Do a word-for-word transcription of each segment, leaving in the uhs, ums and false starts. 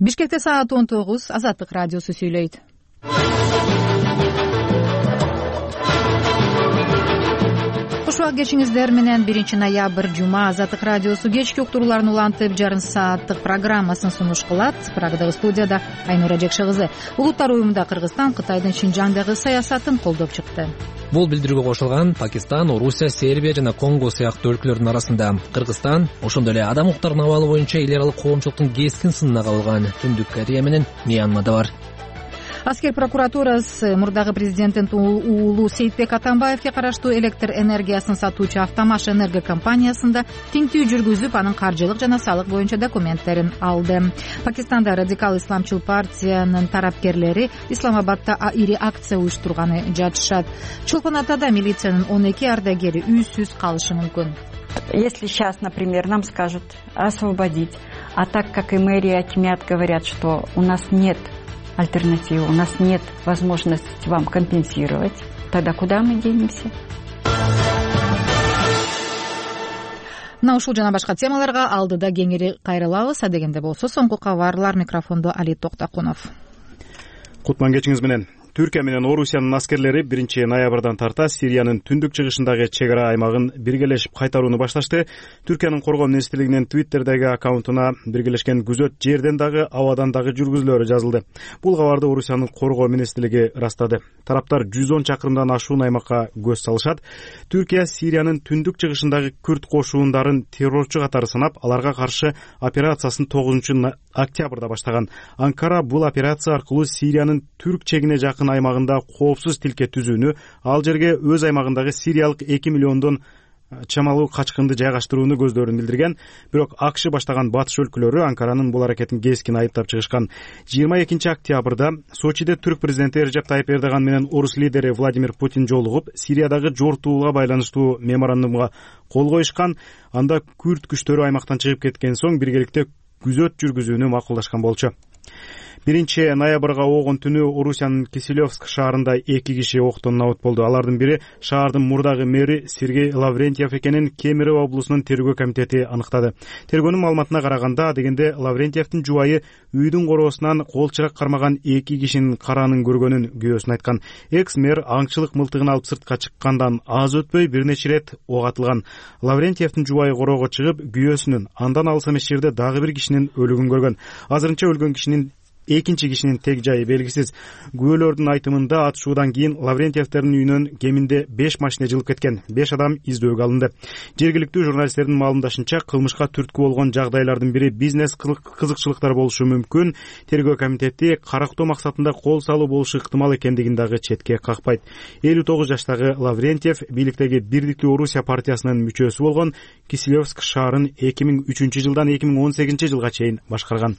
Бишкекте саат он тогуз. Азаттык радиосу сүйлөйт. Куш убак кечиңиздер менен биринчи ноябрь жума Азаттык радиосу кечки уктурууларын улантып жарым сааттык программасын сунуш кылат. Прагадагы студияда Айнура Жекше кызы. Улуттар уюмунда Кыргызстан Кытайдын Шинжаңдагы саясатын колдоп чыкты. Бул билдирүүгө кошулган Пакистан, Орусия, Сербия жана Конго сыяктуу өлкөлөрдүн арасында Кыргызстан ошондой эле адам укуктарынын абалы боюнча эл аралык коомчулуктун кескин сынына кабылган. Түндүк Корея менен Мьянмада бар. Аскер прокуратурасы мурдагы президенттин уулу Сейитбек Атамбаевге караштуу электр энергиясын сатуучу Автомаш энерго компаниясында тинтүү жүргүзүп, анын каржылык жана салык боюнча документтерин алды. Пакистанда радикал исламчыл партиянын тарапкерлери Исламабадда ири акция уюштурганы жатышат. Чолпон Атада милициянын он эки ардагери үйсүз калышы мүмкүн. Если сейчас, например, нам скажут освободить, а так как и мэрия Тимят говорят, что у нас нет альтернативы, у нас нет возможности вам компенсировать, тогда куда мы денемся? Мына ушул жана башка темаларга алдыда кеңири кайрылабыз. Адегенде болсо соңку кабарлар. Микрофондо Али Токтакунов. Кутман кечиңиз менен. Түркия менен Орусиянын аскерлери биринчи ноябрдан тарта Сириянын түндүк чыгышындагы чек ара аймагын биргелешип кайтарууну башташты. Түркиянын коргоо министрлигинин Твиттердеги аккаунтуна биргелешкен күзөт жерден дагы, абадан дагы жүргүзүлөрү жазылды. Бул кабарды Орусиянын коргоо министрлиги ырастады. Тараптар жүз он чакырымдан ашуун аймакка көз салышат. Түркия Сириянын түндүк чыгышындагы күрд кошуундарын террорчу катары санап, аларга каршы операциясын тогузунчу октябрда баштаган. Анкара бул операция аркылуу Сириянын түрк чегине жакын аймагында коопсуз тилке түзүүнү, ал жерге өз аймагындагы сириялык эки миллиондон чамалуу качкынды жайгаштырууну көздөрүн билдирген. Бирок АКШ баштаган батыш өлкөлөрү Анкаранын бул аракетин кескин айыптап чыгышкан. жыйырма экинчи октябрда Сочиде түрк президенти Режеп Тайип Эрдоган менен орус лидери Владимир Путин жолугуп, Сириядагы жортуулукка байланыштуу меморандумга кол коюшкан. Анда күрд күчтөрү аймактан чыгып кеткен соң биргеликте күзөт жүргүзүүнү макулдашкан болчу. биринчи ноябрга огон түнү Орусиянын Киселевск шаарында эки киши октон набыт болду. Алардын бири шаардын мурдагы мэри Сергей Лаврентьев экенин Кемерово облусунун тергөө комитети аныктады. Тергөөнүн маалыматына караганда, дегенде Лаврентьевдин жубайы үйдүн короосунан кол чырак кармаган эки кишинин каранын көргөнүн күбөсүн айткан. Экс-мэр аңчылык мылтыгын алып сыртка чыккандан аз өтпөй бир нече ирет ок атылган. Лаврентьевдин жубайы короого чыгып, күбөсүнүн андан алыс эмес жерде дагы бир кишинин өлүгүн көргөн. Азырынча өлгөн кишинин экинчи кишинин тег жайы белгисиз. Күбөлөрдүн айтымында атышуудан кийин Лаврентьевдердин үйүнөн кеминде беш машина жылып кеткен. беш адам издөөгө алынды. Жергиликтүү журналисттердин маалымдашынча, кылмышка түрткү болгон жагдайлардын бири бизнес кызыкчылыктар болушу мүмкүн. Тергөө комитети карактоо максатында кол салуу болушу ыктымал экендигин дагы четке какпайт. элүү тогуз жаштагы Лаврентьев бийликтеги Бирдиктүү Орусия партиясынын мүчөсү болгон. Киселевск шаарын эки миң үчүнчү жылдан эки миң он сегизинчи жылга чейин башкарган.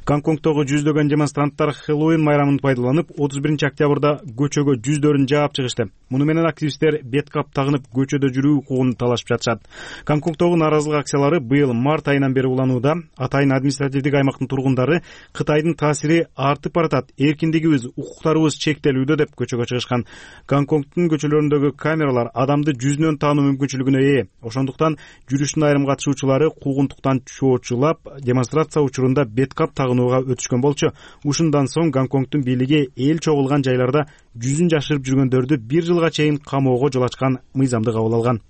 Гонконгдогу жүздөгөн демонстранттар Хэллоуин майрамын пайдаланып, отуз биринчи октябрда көчөгө жүздөрүн жаап чыгышты. Муну менен активисттер бет кап тагынып көчөдө жүрүү укугун талашып жатышат. Гонконгдогу нааразылык акциялары быйыл март айынан бери уланууда. Атайын административдик аймактын тургундары Кытайдын таасири артып баратат, эркиндигибиз, укуктарыбыз чектелүүдө деп көчөгө чыгышкан. Гонконгдун көчөлөрүндөгү камералар адамды жүзүнөн таануу мүмкүнчүлүгүнө ээ. Ошондуктан жүрүштүн айрым катышуучулары куугунтуктан чоочулап, демонстрация учурунда бет кап тагынууга өтүшкөн болчу. Ушундан соң Гонконгдун бийлиги эл чогулган жайларда жүзүн жашырып жүргөндөрдү бир жылга чейин камоого жол ачкан мыйзамды кабыл алган.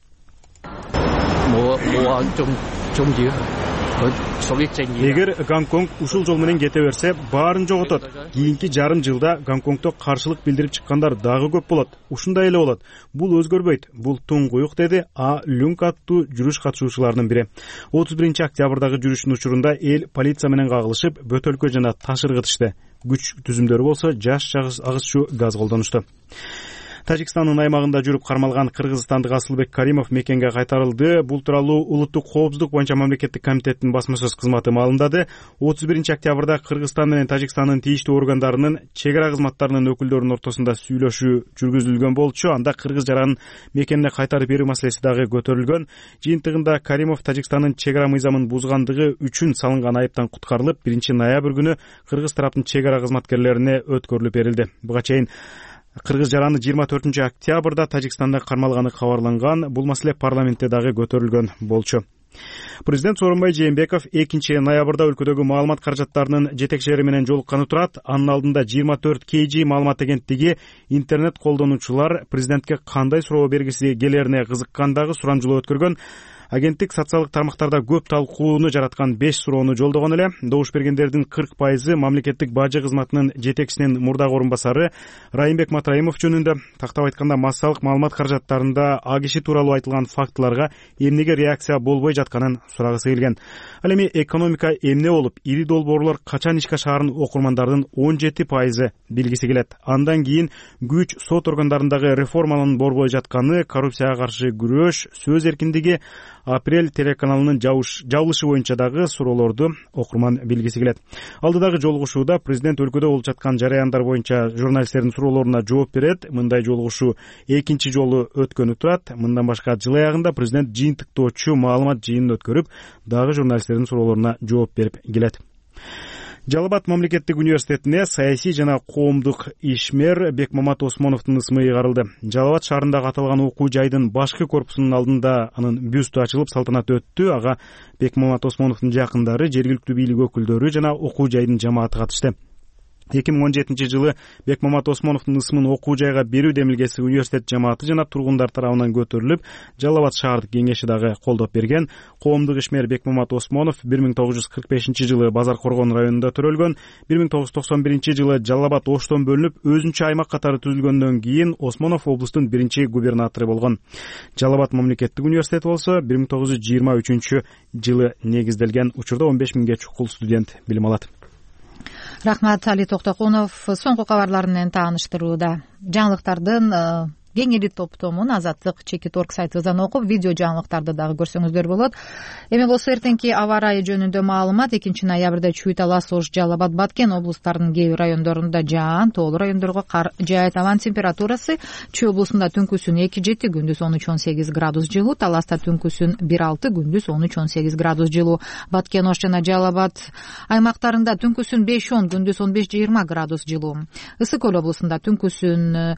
Эгер Гонконг ушул жол менен кете берсе, баарын жоготот. Кийинки жарым жылда Гонконгдо каршылык билдирип чыккандар дагы көп болот. Ушундай эле болот. Бул өзгөрбөйт. Бул туңгуюк, деди А Люнг аттуу жүрүш катышуучуларынын бири. отуз биринчи октябрдагы жүрүштүн учурунда эл полиция менен кагылышып, бөтөлкө жана таш ыргытышты. Күч түзүмдөрү болсо жаш агызчу газ колдонушту. Тажикстандын аймагында жүрүп кармалган кыргызстандык Асылбек Каримов мекенге кайтарылды. Бул тууралуу Улуттук коопсуздук боюнча мамлекеттик комитеттин басма сөз кызматы маалымдады. отуз биринчи октябрда Кыргызстан менен Тажикстандын тийиштүү органдарынын чек ара кызматтарынын өкүлдөрүнүн ортосунда сүйлөшүү жүргүзүлгөн болчу. Анда кыргыз жаранын мекенине кайтарып берүү маселеси дагы көтөрүлгөн. Жыйынтыгында Каримов Тажикстандын чек ара мыйзамын бузгандыгы үчүн салынган айыптан куткарылып, биринчи ноябрь күнү кыргыз тараптын чек ара кызматкерлерине өткөрүлүп берилди. Буга чейин кыргыз жараны жыйырма төртүнчү октябрда Тажикстанда кармалганы кабарланган. Бул маселе парламентте дагы көтөрүлгөн болчу. Президент Сооронбай Жээнбеков экинчи ноябрда өлкөдөгү маалымат каражаттарынын жетекчилери менен жолукканы турат. Анын алдында жыйырма төрт кей жи маалымат агенттиги интернет колдонуучулар президентке кандай суроо бергиси келерине кызыккандагы сурамжылоо өткөргөн. Агенттик социалдык тармактарда көп талкууну жараткан беш суроону жолдогон эле. Добуш бергендердин кырк пайызы мамлекеттик бажы кызматынын жетекчисинин мурдагы орун басары Райымбек Матраимов жөнүндө. Тактап айтканда, массалык маалымат каражаттарында а киши тууралуу айтылган фактыларга эмнеге реакция болбой жатканын сурагысы келген. Ал эми экономика эмне болуп, ири долбоорлор качан ишке ашаарын окурмандардын он жети пайызы билгиси келет. Андан кийин күч сот органдарындагы реформанын борбой жатканы, коррупцияга каршы күрөш, сөз эркиндиги, Апрель телеканалынын жабылышы боюнча дагы суроолорду окурман билгиси келет. Алдыдагы жолугушууда президент өлкөдө болуп жаткан жараяндар боюнча журналисттердин суроолоруна жооп берет. Мындай жолугушуу экинчи жолу өткөнү турат. Мындан башка жыл аягында президент жыйынтыктоочу маалымат жыйынын өткөрүп, дагы журналисттердин суроолоруна жооп берип келет. Жалал Абад мамлекеттик университетине саясий жана коомдук ишмер Бекмамат Осмоновдун ысмы ыйгарылды. Жалал Абад шаарындагы аталган окуу жайдын башкы корпусунун алдында анын бюсту ачылып салтанаты өттү. Ага Бекмамат Осмоновдун жакындары, жергиликтүү бийлик өкүлдөрү жана окуу жайдын жамааты катышты. эки миң он жетинчи жылы Бекмамат Осмоновдун ысмын окуу жайга берүү демилгеси университет жамааты жана тургундар тарабынан көтөрүлүп, Жалал Абад шаардык кеңеши дагы колдоп берген. Коомдук ишмер Бекмамат Осмонов бир миң тогуз жүз кырк бешинчи жылы Базар Коргон районунда төрөлгөн. бир миң тогуз жүз токсон биринчи жылы Жалал Абад Оштон бөлүнүп, өзүнчө аймак катары түзүлгөндөн кийин Осмонов облустун биринчи губернатору болгон. Жалал Абад мамлекеттик университети болсо бир миң тогуз жүз жыйырма үчүнчү жылы негизделген. Учурда он беш миңге чукул студент билим алат. Рахмат, Али Токтокунов. Соңку кабарлар менен тааныштырууда жаңылыктардын кеңири топтомун Азаттык чекит орг сайтыбыздан окуп, видео жаңылыктарды дагы көрсөңүздөр болот. Эми болсо эртеңки аба ырайы жөнүндө маалымат. экинчи ноябрда Чүй Талас, Ош, Жалал Абад, Баткен облустарынын кээ бир райондорунда жаан, тоолуу райондорго кар жаайт. Абанын температурасы Чүй облусунда түнкүсүн эки жети, күндүз он үч он сегиз градус жылуу, Таласта түнкүсүн бир алты, күндүз он үч он сегиз градус жылуу. Баткен, Ош жана Жалал Абад аймактарында түнкүсүн беш он, күндүз он беш жыйырма градус жылуу. Ысык Көл облусунда түнкүсүн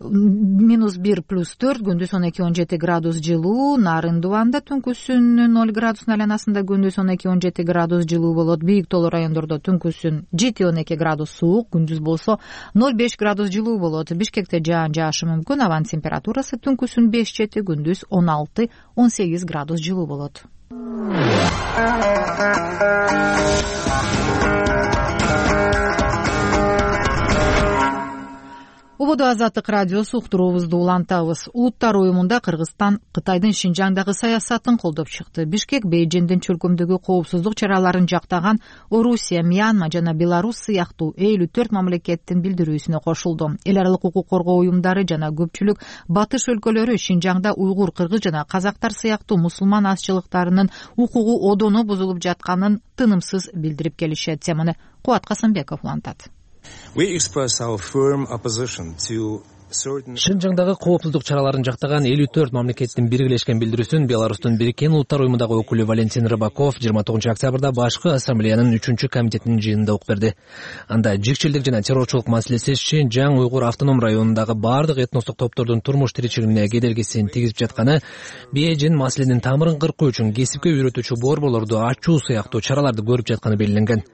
минус бир плюс төрт, күндүз он эки он жети градус жылуу. Нарын Дубанда түнкүсүн ноль градустун айланасында, күндүз он эки он жети градус жылуу болот. Бийик тоолуу райондордо түнкүсүн жети он эки градус суук, күндүз болсо ноль беш градус жылуу болот. Бишкекте жаан жаашы мүмкүн. Абанын температурасы түнкүсүн беш жети, күндүз он алты он сегиз градус жылуу болот. Убоду Азаттык радиосу уктуруубузду улантабыз. Улуттар уюмунда Кыргызстан Кытайдын Шинжаңдагы саясатын колдоп чыкты. Бишкек Бейжиңдин чөлкөмдөгү коопсуздук чараларын жактаган Орусия, Мьянма жана Беларусь сыяктуу элүү төрт мамлекеттин билдирүүсүнө кошулду. Эл аралык укук коргоо уюмдары жана көпчүлүк батыш өлкөлөрү Шинжаңда уйгур, кыргыз жана казактар сыяктуу мусулман азчылыктарынын укугу одоно бузулуп жатканын тынымсыз билдирип келишет. Теманы Кубат Касымбеков улантат. Шинжаңдагы коопсуздук чараларын жактаган элүү төрт мамлекеттин биргелешкен билдирүүсүн Беларустун Бириккен Улуттар уюмундагы өкүлү Валентин Рыбаков жыйырма тогузунчу октябрда башкы ассамблеянын үчүнчү комитетинин жыйынында окуп берди. Анда жикчилдик жана террорчулук маселеси Шинжаң уйгур автоном районундагы бардык этностук топтордун турмуш тиричилигине кедергисин тийгизип жатканы, Бейжиң маселенин тамырын кыркуу үчүн кесипке үйрөтүүчү борборлорду ачуу сыяктуу чараларды көрүп жатканы белгиленген.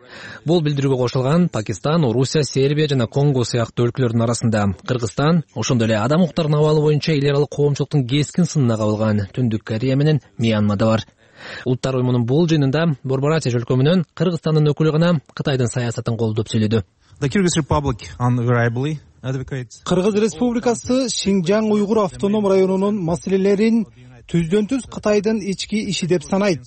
Бул билдирүүгө кошулган Пакистан, Орусия, Сербия жана Конго сыяктуу өлкөлөрдүн арасында Кыргызстан, ошондой эле адам укуктарынын абалы боюнча эл аралык коомчулуктун кескин сынына кабылган Түндүк Корея менен Мьянма да бар. Улуттар уюмунун бул жыйынында Борбор Азия чөлкөмүнөн Кыргызстандын өкүлү гана Кытайдын саясатын колдоп сөйлөдү. Кыргыз Республикасы Шинжаң уйгур автоном районунун маселелерин түздөн түз Кытайдын ички иши деп санайт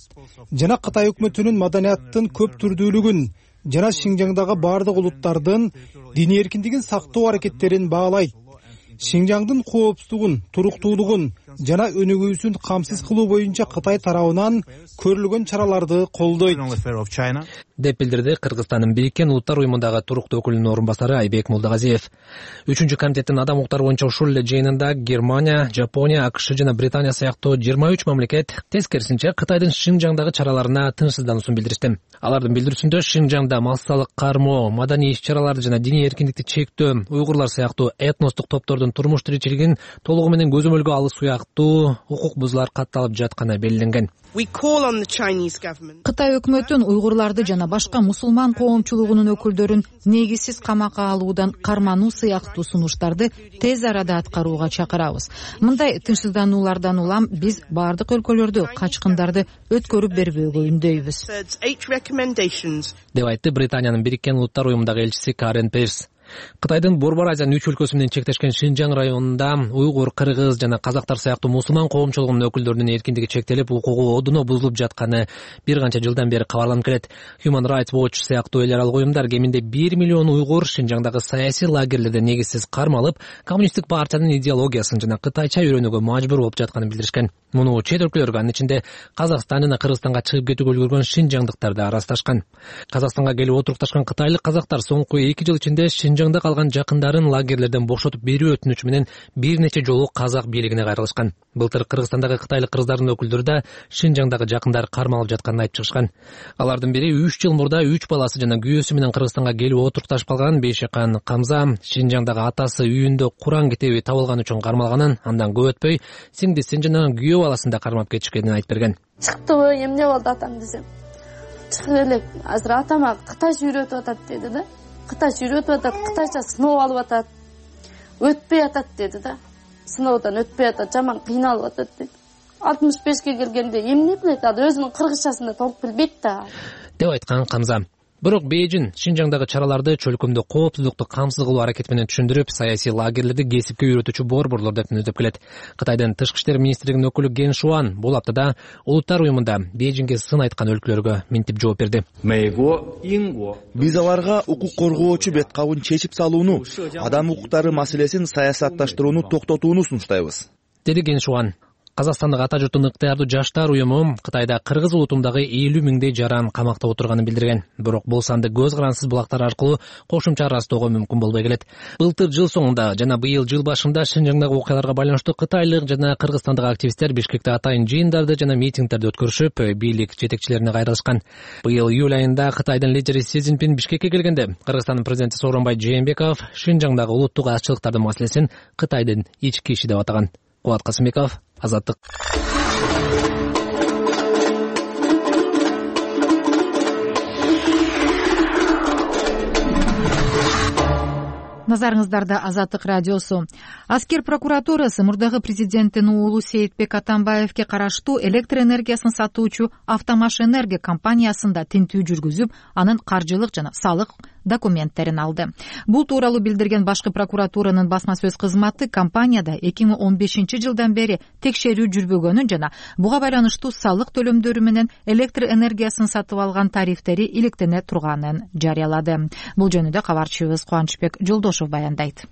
жана Кытай өкмөтүнүн маданияттын көп түрдүүлүгүн жана Шинжаңдагы бардык улуттардын диний эркиндигин сактоо аракеттерин баалайт. Шинжаңдын коопсуздугун, туруктуулугун жана өнүгүүсүн камсыз кылуу боюнча Кытай тарабынан көрүлгөн чараларды колдойт деп билдирди Кыргызстандын Бириккен Улуттар уюмундагы туруктуу өкүлүнүн орун басары Айбек Молдогазиев. Үчүнчү комитеттин адам укуктары боюнча ушул эле жыйынында Германия, Жапония, АКШ жана Британия сыяктуу жыйырма үч мамлекет тескерисинче Кытайдын Шинжаңдагы чараларына тынчсыздануусун билдиришти. Алардын билдирүүсүндө Шинжаңда массалык кармоо, маданий иш-чараларды жана диний эркиндикти чектөө, уйгурлар сыяктуу этностук топтордун турмуш тиричилигин толугу менен көзөмөлгө алуу сыяктуу укук бузуулар катталып жатканы белгиленген. Кытай өкмөтүн уйгурларды жана башка мусулман коомчулугунун өкүлдөрүн негизсиз камакка алуудан кармануу сыяктуу сунуштарды тез арада аткарууга чакырабыз. Мындай тынчсыздануулардан улам биз бардык өлкөлөрдө качкындарды өткөрүп бербөөгө үндөйбүз, деп айтты Британиянын Бириккен Улуттар уюмундагы элчиси Карен Пейрс. Кытайдын Борбор Азиянын үч өлкөсү менен чектешкен Шинжаң районунда уйгур, кыргыз жана казактар сыяктуу мусулман коомчулугунун өкүлдөрүнүн эркиндиги чектелип, укугу одуно бузулуп жатканы бир канча жылдан бери кабарланып келет. Human Rights Watch сыяктуу эл аралык уюмдар кеминде бир миллион уйгур Шинжаңдагы саясий лагерлерде негизсиз кармалып, коммунисттик партиянын идеологиясын жана кытайча үйрөнүүгө мажбур болуп жатканын билдиришкен. Муну чет өлкөлөргө, анын ичинде Казакстан жана Кыргызстанга чыгып кетүүгө үлгүргөн шинжаңдыктар да арасташкан. Казакстанга келип отурукташкан кытайлык казактар соңку эки жыл ичинде Шинжаңда калган жакындарын лагерлерден бошотуп берүү өтүнүчү менен бир нече жолу казак бийлигине кайрылышкан. Былтыр Кыргызстандагы кытайлык кыргыздардын өкүлдөрү да Шинжаңдагы жакындары кармалып жатканын айтып чыгышкан. Алардын бири үч жыл мурда үч баласы жана күйөөсү менен Кыргызстанга келип отурукташып калган Бейшакан Камза Шинжаңдагы атасы үйүндө Куран китеби табылган үчүн кармалганын, андан көп өтпөй сиңдисин жана күйөө баласын да кармап кетишкенин айтып берген. Чыктыбы, эмне болду атам десем. Чыгып элек, азыр атама кытайча үйрөтүп атат деди да. Кытайча үйрөтүп атат, кытайча сыноо алып атат. Өтпөй атат деди да. Сыноодон өтпөй атат, жаман кыйналып атат деди. алтымыш бешке келгенде эмне билет, ада өзүнүн кыргызчасын да толук билбейт да, деп айткан Камза. Бирок Бейжин Шинжаңдагы чараларды чөлкөмдө коопсуздукту камсыз кылуу аракети менен түшүндүрүп, саясий лагерлерди кесипке үйрөтүүчү борборлор деп түнөтүп келет. Кытайдын Тышкы иштер министрлигинин өкүлү Ген Шуан бул аптада Улуттар уюмунда Бейжиңге сын айткан өлкөлөргө минтип жооп берди. Биз аларга укук коргоочу бет кабын чечип салууну, адам укуктары маселесин саясатташтырууну токтотууну сунуштайбыз, деди Ген Шуан. Казакстандык ата журттун ыктыярдуу жаштар уюму Кытайда кыргыз улутундагы элүү миңдей жаран камакта отурганын билдирген. Бирок бул санды көз карансыз булактар аркылуу кошумча ырастоого мүмкүн болбой келет. Былтыр жыл соңунда жана быйыл жыл башында Шинжаңдагы окуяларга байланыштуу кытайлык жана кыргызстандык активисттер Бишкекте атайын жыйындарды жана митингдерди өткөрүшүп, бийлик жетекчилерине кайрылышкан. Быйыл июль айында Кытайдын лидери Си Цзиньпин Бишкекке келгенде Кыргызстандын президенти Сооронбай Жээнбеков Шинжаңдагы улуттук азчылыктардын маселесин Кытайдын ички иши деп атаган. Кубат Касымбеков, Азаттык. Назарыңыздарда Азаттык радиосу. Аскер прокуратурасы мурдагы президенттин уулу Сейитбек Атамбаевге караштуу электр энергиясын сатуучу Автомаш Энерго компаниясында тинтүү жүргүзүп, анын каржылык жана салык документтерин алды. Бул тууралуу билдирген башкы прокуратуранын басма сөз кызматы компанияда эки миң он бешинчи жылдан бери текшерүү жүрбөгөнүн жана буга байланыштуу салык төлөмдөрү менен электр энергиясын сатып алган тарифтери иликтене турганын жарыялады. Бул жөнүндө кабарчыбыз Кубанычбек Жолдошов баяндайт.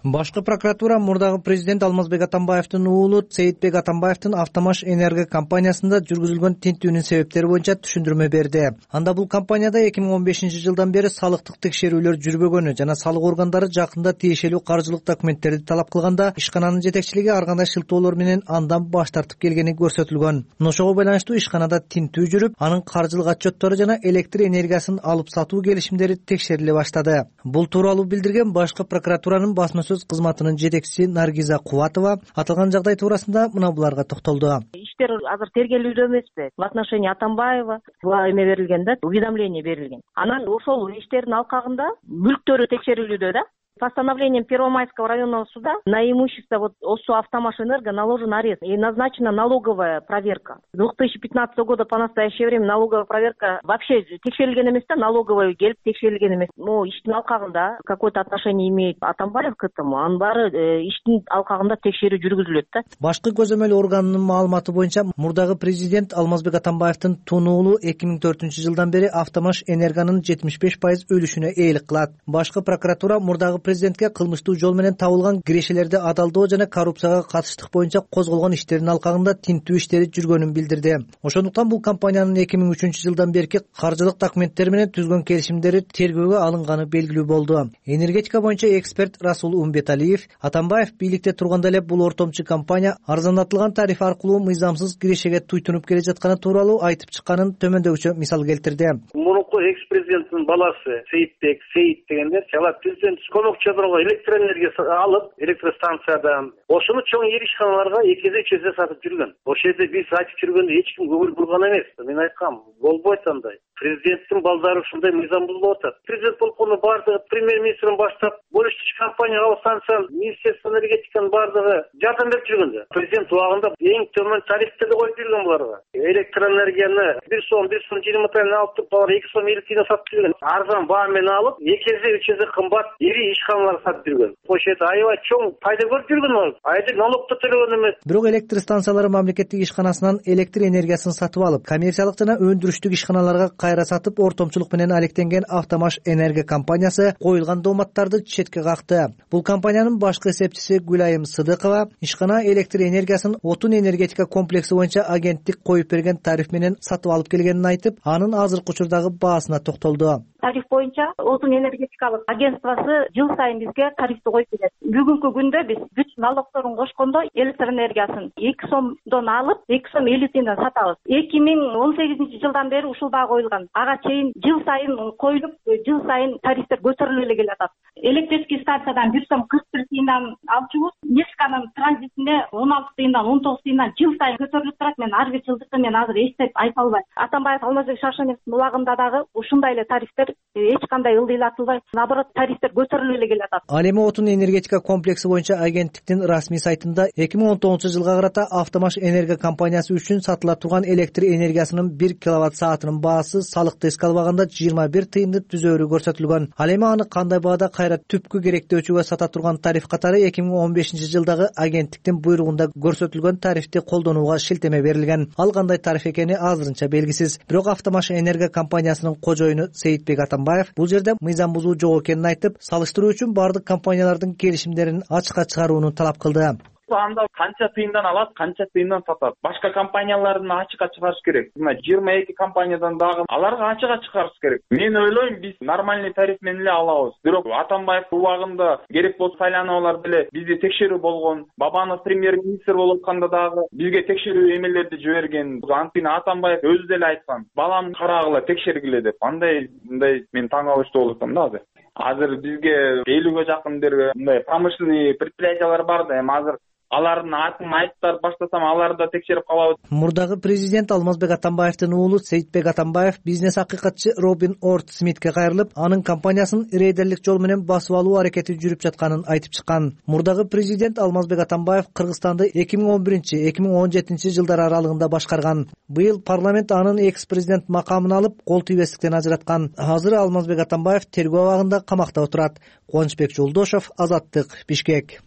Башкы прокуратура мурдагы президент Алмазбек Атамбаевдин уулу Сейитбек Атамбаевдин Автомаш Энерго компаниясында жүргүзүлгөн тинтүүнүн себептери боюнча түшүндүрмө берди. Анда бул компанияда эки миң он бешинчи жылдан бери салыктык текшерүүлөр жүрбөгөнү жана салык органдары жакында тиешелүү каржылык документтерди талап кылганда ишкананын жетекчилиги ар кандай шылтоолор менен андан баш тартып келгени көрсөтүлгөн. Ошого байланыштуу ишканада тинтүү жүрүп, анын каржылык отчеттору жана электр энергиясын алып сатуу келишимдери текшериле баштады. Бул тууралуу билдирген башкы прокуратуранын басма сөз кызматынын жетекчиси Наргиза Кубатова аталган жагдай туурасында мына буларга токтолду. Иштер азыр тергелүүдө эмеспи? В отношении Атамбаева буга эме берилген да, уведомление берилген. Анан ошол иштердин алкагында мүлктөрү текшерилүүдө да. Постановлением Первомайского районного суда на имущество вот ОСО «Автомаш Энерго» наложен арест и назначена налоговая проверка. С две тысячи пятнадцатого года по настоящее время налоговая проверка вообще текшерилген эмес да, налоговая келип текшерилген эмес. Но иштин алкагында какое-то отношение имеет Атамбаев к этому, анын баары иштин алкагында текшерүү жүргүзүлөт да. Башкы көзөмөл органынын маалыматы боюнча мурдагы президент Алмазбек Атамбаевдин тун уулу эки миң төртүнчү жылдан бери Автомаш Энергонун жетимиш беш пайыз үлүшүнө ээлик кылат. Башкы прокуратура мурдагы президентке кылмыштуу жол менен табылган кирешелерди адалдоо жана коррупцияга катыштык боюнча козголгон иштердин алкагында тинтүү иштери жүргөнүн билдирди. Ошондуктан бул компаниянын эки миң үчүнчү жылдан берки каржылык документтери менен түзгөн келишимдери тергөөгө алынганы белгилүү болду. Энергетика боюнча эксперт Расул Умбеталиев Атамбаев бийликте турганда эле бул ортомчу компания арзандатылган тариф аркылуу мыйзамсыз кирешеге туйтунуп келе жатканы тууралуу айтып чыкканын төмөндөгүчө мисал келтирди. Мурунку экс президенттин баласы Сейитбек Сейит дегендер алар президент көмөкчү чөбүргө электр энергия алып электростанциядан ошону чоң ири ишканаларга эки эсе үч эсе сатып жүргөн. Ошол жерде биз айтып жүргөндө эч ким көңүл бурган эмес. Мен айткам, болбойт андай. Президенттин балдары ушундай мыйзам бузулуп атат. Президент болгону баардыгы премьер-министрден баштап, бөлүштүрүүчү компания, алуу станция, министерство энергетиканын баардыгы жардам берип жүргөндө. Президент убагында эң төмөн тарифтерди коюп жүргөн буларга. Электр энергияны бир сом, бир сом жыйырма тиен алып туруп, алар эки сом элүү тиен сатып жүргөн. Арзан баа менен алып, эки эсе үч эсе кымбат ири ишканаларга сатып жүргөн. Ошол жерде аябай чоң пайда көрүп жүргөн алар. Айдык налог да төлөгөн эмес. Бирок электр станциялары мамлекеттик ишканасынан электр энергиясын сатып алып, коммерциялык жана өндүрүштүк ишканаларга кайра сатып, ортомчулук менен алектенген Автомаш энерго компаниясы коюлган дооматтарды четке какты. Бул компаниянын башкы эсепчиси Гүлайым Сыдыкова ишкана электр энергиясын отун энергетика комплекси боюнча агенттик коюп берген тариф менен сатып алып келгенин айтып, анын азыркы учурдагы баасына токтолду. Тариф боюнча отун энергетикалык агентствосы жыл сайын бизге тарифти коюп берет. Бүгүнкү күндө биз бүт налогторун кошкондо электр энергиясын эки сомдон алып, эки сом элүү тиенден сатабыз. эки миң он сегизинчи жылдан бери ушул баа коюлган. Ага чейин жыл сайын коюлуп, жыл сайын тарифтер көтөрүлүп эле келатат. Электрический станциядан бир сом кырк бир тиендан алчубуз, нефтканын транзитине он алты тиендан он тогуз тиендан жыл сайын көтөрүлүп турат. Мен ар бир жылдыкты мен азыр эстеп айта албайм. Атамбаев Алмазбек Шаршеновдун убагында дагы ушундай эле тарифтер эч кандай ылдыйлатылбай, наоборот, тарифтер көтөрүлүп эле келатат. Ал эми отун энергетика комплекси боюнча агенттиктин расмий сайтында эки миң он тогузунчу жылга карата Автомаш энерго компаниясы үчүн сатыла турган электр энергиясынын бир киловатт саатынын баасы салыкты эске албаганда жыйырма бир тыйынды түзөөрү көрсөтүлгөн. Ал эми аны кандай баада кайра түпкү керектөөчүгө сата турган тариф катары эки миң он бешинчи жылдагы агенттиктин буйругунда көрсөтүлгөн тарифти колдонууга шилтеме берилген. Ал кандай тариф экени азырынча белгисиз. Бирок Автомаш энерго компаниясынын кожоюну Сейитбек Атамбаев бул жерде мыйзам бузуу жок экенин айтып, салыштыруу үчүн бардык компаниялардын келишимдерин ачыкка чыгарууну талап кылды. Анда канча тыйындан алат, канча тыйындан сатат. Башка компаниялардын ачыкка чыгарыш керек. Мына жыйырма эки компаниядан дагы аларга ачыкка чыгарыш керек. Мен ойлойм, биз нормальный тариф менен эле алабыз. Бирок Атамбаев убагында керек болсо сайлануулар деле бизди текшерүү болгон. Бабанов премьер-министр болуп атканда дагы бизге текшерүү эмелерди жиберген. Антина Атамбаев өзү деле айткан, балам карагыла, текшергиле деп. Андай мындай мен таң калыштуу болуп атам да азыр. Азыр бизге элүүгө жакын дерге мындай промышленный предприятиялар бар да, эми азыр алардын атын айтып баштасам аларды да текшерип калабыз. Мурдагы президент Алмазбек Атамбаевдин уулу Сейитбек Атамбаев бизнес акыйкатчы Робин Орт Смитке кайрылып, анын компаниясын рейдерлик жол менен басып алуу аракети жүрүп жатканын айтып чыккан. Мурдагы президент Алмазбек Атамбаев Кыргызстанды эки миң он биринчи — эки миң он жетинчи жылдар аралыгында башкарган. Быйыл парламент анын экс-президент макамын алып, кол тийбестиктен ажыраткан. Азыр Алмазбек Атамбаев тергөө абагында камакта отурат. Кубанычбек Жолдошов, Азаттык, Бишкек.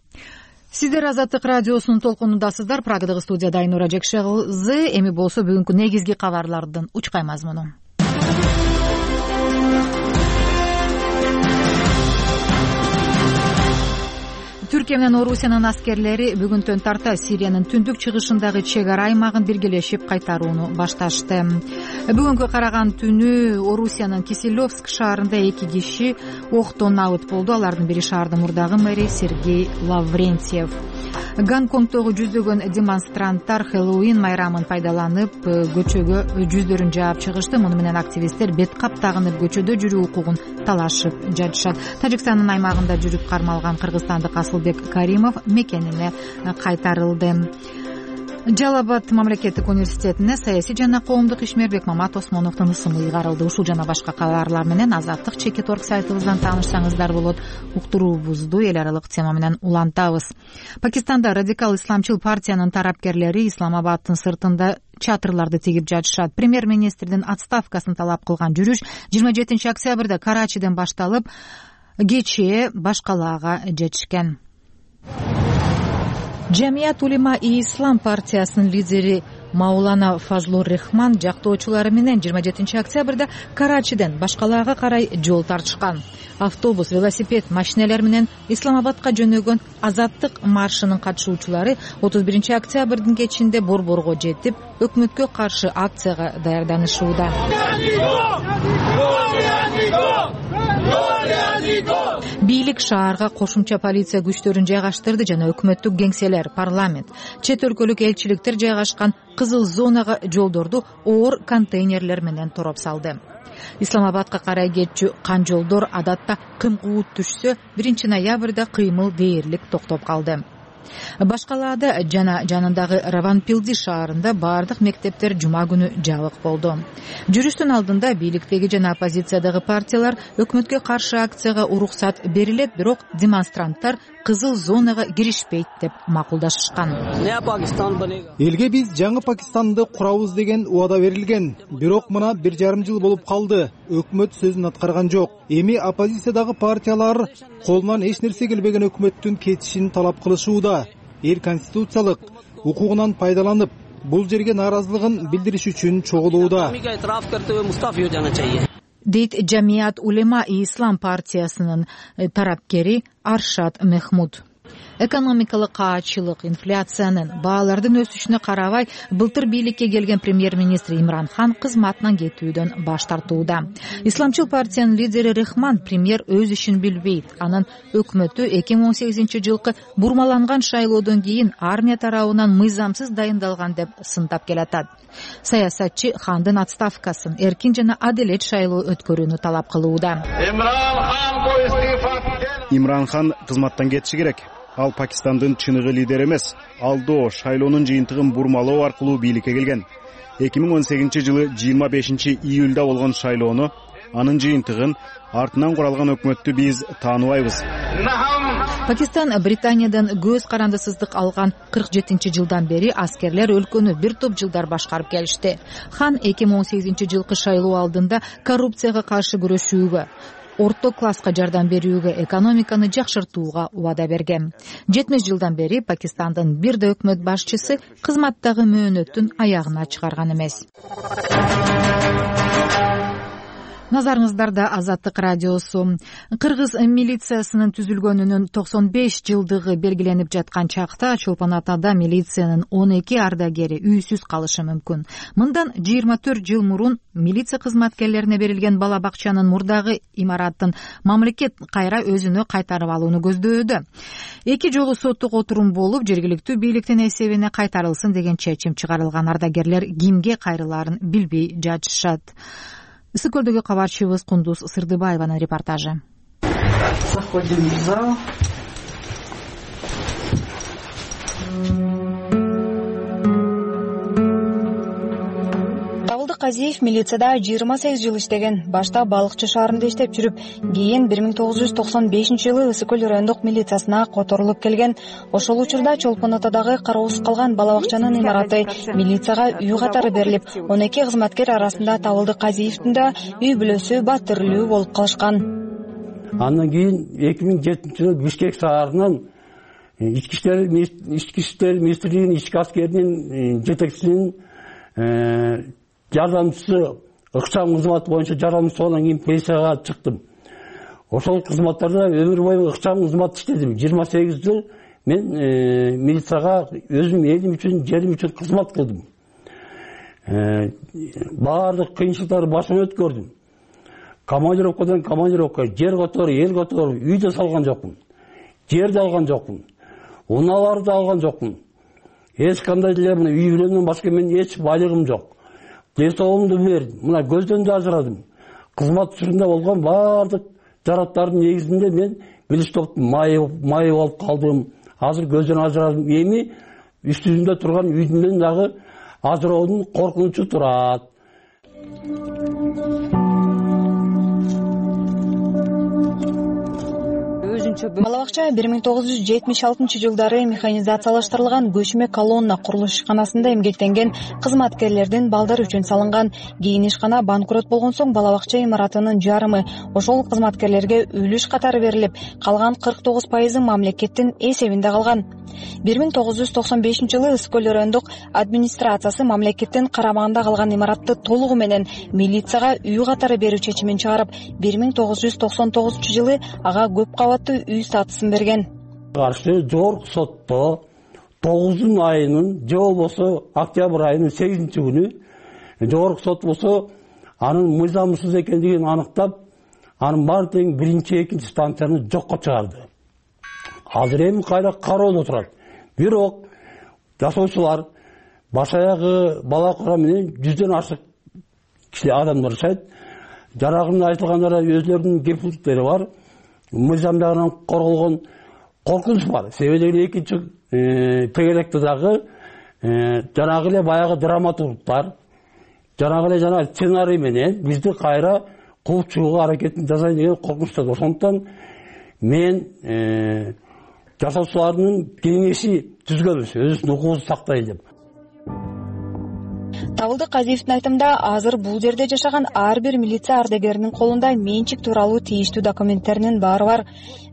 Сиздер Азаттык радиосунун толкунундасыздар. Прагадагы студияда Айнура Жекше кызы. Эми болсо бүгүнкү негизги кабарлардын учкай мазмуну. Түркия менен Орусиянын аскерлери бүгүнтөн тарта Сириянын түндүк чыгышындагы чек ара аймагын биргелешип кайтарууну башташты. Бүгүнкү караган түнү Орусиянын Киселевск шаарында эки киши октон набыт болду. Алардын бири шаардын мурдагы мэри Сергей Лаврентьев. Гонконгдогу жүздөгөн демонстранттар Хэллоуин майрамын пайдаланып көчөгө жүздөрүн жаап чыгышты. Муну менен активисттер бет кап тагынып көчөдө жүрүү укугун талашып жатышат. Тажикстандын аймагында жүрүп кармалган кыргызстандык Асылбек Каримов мекенине кайтарылды. Жалал Абад мамлекеттик университетине саясий жана коомдук ишмер Бекмамат Осмоновдун ысымы ыйгарылды. Ушул жана башка кабарлар менен Азаттык чекит орг сайтыбыздан таанышсаңыздар болот. Уктуруубузду эл аралык тема менен улантабыз. Пакистанда радикал исламчыл партиянын тарапкерлери Исламабаддын сыртында чатырларды тигип жатышат. Премьер-министрдин отставкасын талап кылган жүрүш жыйырма жетинчи октябрда Карачиден башталып, кечээ Башкалаага жетишкен. Жамият улема и ислам партиясынын лидери Маулана Фазлур Рахман жактоочулары менен жыйырма жетинчи октябрда Карачиден Башкалаага карай жол тартышкан. Автобус, велосипед, машиналар менен Исламабадка жөнөгөн Азаттык маршынын катышуучулары отуз биринчи октябрдын кечинде Борборго жетип, өкмөткө каршы акцияга даярданышууда. Бийлик шаарга кошумча полиция күчтөрүн жайгаштырды жана өкмөттүк кеңселер, парламент, чет өлкөлүк элчиликтер жайгашкан кызыл зонага жолдорду оор контейнерлер менен тороп салды. Исламабадка карай кетчү канжолдор адатта кымкуут түшсө биринчи ноябрда кыймыл дээрлик токтоп калды. Башкалаада жана жанындагы Раванпилди шаарында бардык мектептер жума күнү жабык болду. Жүрүштүн алдында бийликтеги жана оппозициядагы партиялар өкмөткө каршы акцияга уруксат берилет, бирок демонстранттар кызыл зонага киришпейт деп макулдашышкан. Элге биз жаңы Пакистанды курабыз деген убада берилген, бирок мына бир жарым жыл болуп калды. Өкмөт сөзүн аткарган жок. Эми оппозициядагы партиялар колунан эч нерсе келбеген өкмөттүн кетишин талап кылышууда. Эл конституциялык укугунан пайдаланып, бул жерге нааразылыгын билдириш үчүн чогулууда, дейт Жамият Улема и Ислам партиясынын тарапкери Аршад Мехмуд. Экономикалык каачылык, инфляциянын, баалардын өсүшүнө карабай, былтыр бийликке келген премьер-министр Имран Хан кызматынан кетүүдөн баш тартууда. Исламчыл партиянын лидери Рахман премьер өз ишин билбейт. Анын өкмөтү эки миң он сегизинчи жылкы бурмаланган шайлоодон кийин армия тарабынан мыйзамсыз дайындалган деп сындап келатат. Саясатчы Хандын отставкасын, эркин жана адилет шайлоо өткөрүүнү талап кылууда. Имран Хан кызматтан кетиши керек. Ал Пакистандын чыныгы лидери эмес. Ал до шайлоонун жыйынтыгын бурмалоо аркылуу бийликке келген. эки миң он сегизинчи жылы жыйырма бешинчи июлда болгон шайлоону, анын жыйынтыгын, артынан куралган өкмөттү биз тааныбайбыз. Пакистан Британиядан көз карандысыздык алган кырк жетинчи жылдан бери аскерлер өлкөнү бир топ жылдар башкарып келишти. Хан эки миң он сегизинчи жылкы шайлоо алдында коррупцияга каршы күрөшүүгө, орто класска жардам берүүгө, экономиканы жакшыртууга убада берген. жетимиш жылдан бери Пакистандын бир да өкмөт башчысы кызматтагы мөөнөтүн аягына чыгарган эмес. Назарыңыздарда Азаттык радиосу. Кыргыз милициясынын түзүлгөнүнүн токсон беш жылдыгы белгиленип жаткан чакта Чолпон Атада милициянын он эки ардагери үйсүз калышы мүмкүн. Мындан жыйырма төрт жыл мурун милиция кызматкерлерине берилген бала бакчанын мурдагы имараттын мамлекет кайра өзүнө кайтарып алууну көздөөдө. Эки жолу соттук отурум болуп, жергиликтүү бийликтин эсебине кайтарылсын деген чечим чыгарылган. Ардагерлер кимге кайрылаарын билбей жатышат. Ысык көлдөгү кабарчыбыз Кундуз Сырдыбаеванын репортажы. Заходим в зал. Казиев милицияда жыйырма сегиз жыл иштеген. Башта Балыкчы шаарында иштеп жүрүп, кийин бир миң тогуз жүз токсон бешинчи жылы Ысык көл райондук милициясына которулуп келген. Ошол учурда Чолпон Атадагы кароосуз калган бала бакчанын имараты милицияга үй катары берилип, он эки кызматкер арасында Табылды Казиевдин да үй бүлөсү баттырлуу болуп калышкан. Андан кийин эки миң жетинчи жылы Бишкек шаарынан ички иштер ички иштер министрлигинин ички аскеринин жетекчисинин жардамчысы ыкчам кызмат боюнча жардамчысы болгондон кийин пенсияга чыктым. Ошол кызматтарда өмүр бою ыкчам кызмат иштедим. жыйырма сегиз жыл мен милицияга өзүм элим үчүн, жерим үчүн кызмат кылдым. Баардык кыйынчылыктарды башынан өткөрдүм. Командировкадан командировка, жер которуп, эл которуп, үй да салган жокмун. Жер да алган жокмун. Унааларды да алган жокмун. Эч кандай деле мына үй бүлөмдөн башка менин эч байлыгым жок. Десоомду бердим. Мына көздөн да ажырадым. Кызмат учурунда болгон баардык жараттардын негизинде мен билиш топтун майы майы болуп калдым. Азыр көздөн ажырадым. Эми үстүмдө турган үйдүн дагы ажыроодун коркунучу турат. Бала бакча бир миң тогуз жүз жетимиш алтынчы жылдары механизациялаштырылган көчмө колонна курулуш ишканасында эмгектенген кызматкерлердин балдары үчүн салынган. Кийин ишкана банкрот болгон соң бала бакча имаратынын жарымы ошол кызматкерлерге үлүш катары берилип, калган кырк тогуз пайызы мамлекеттин эсебинде калган. бир миң тогуз жүз токсон бешинчи жылы Ысык көл райондук администрациясы мамлекеттин карамагында калган имаратты толугу менен милицияга үй катары берүү чечимин чыгарып, бир миң тогуз жүз токсон тогузунчу жылы ага көп кабаттуу үй статусун берген. Каршы жогорку сотто тогузунчу айынын же болбосо октябрь айынын сегизинчи күнү жогорку сот болсо анын мыйзамсыз экендигин аныктап, анын баары тең биринчи, экинчи станцияны жокко чыгарды. Азыр эми кайра кароодо турат. Бирок жашоочулар баш аягы бала кура менен жүздөн ашык киши адамдар жашайт. жанагы айтылгандары өзлөрүнүн кемчиликтери бар. Мыйзам жагынан корголгон коркунуч бар. Себеби дегенде экинчи тегеректе дагы жанагы эле баягы драматургтар, жанагы эле жана сценарий менен бизди кайра кууп чыгууга аракетин жасайт деген коркунучта. Ошондуктан мен жашоочулардын кеңеши түзгөнбүз, өзүбүздүн укугубузду сактайлы деп. Табылдык Казиевдин айтымында азыр бул жерде жашаган ар бир милиция ардагеринин колунда менчик тууралуу тийиштүү документтеринин баары бар.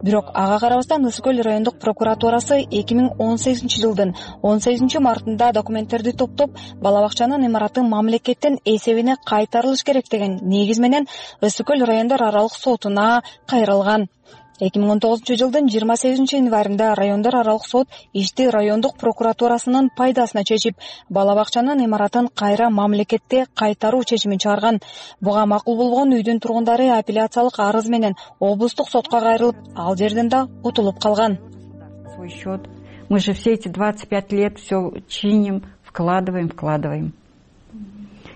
Бирок ага карабастан Ысык көл райондук прокуратурасы эки миң он сегизинчи жылдын он сегизинчи мартында документтерди топтоп, бала бакчанын имараты мамлекеттин эсебине кайтарылыш керек деген негиз менен Ысык көл райондор аралык сотуна кайрылган. эки миң он тогузунчу жылдын жыйырма сегизинчи январында райондор аралык сот ишти райондук прокуратурасынын пайдасына чечип, бала бакчанын имаратын кайра мамлекетте кайтаруу чечимин чыгарган. Буга макул болгон үйдүн тургундары апелляциялык арыз менен облустук сотко кайрылып, ал жерден да утулуп калган. Свой счет. Мы же все эти двадцать пять лет все чиним, вкладываем, вкладываем.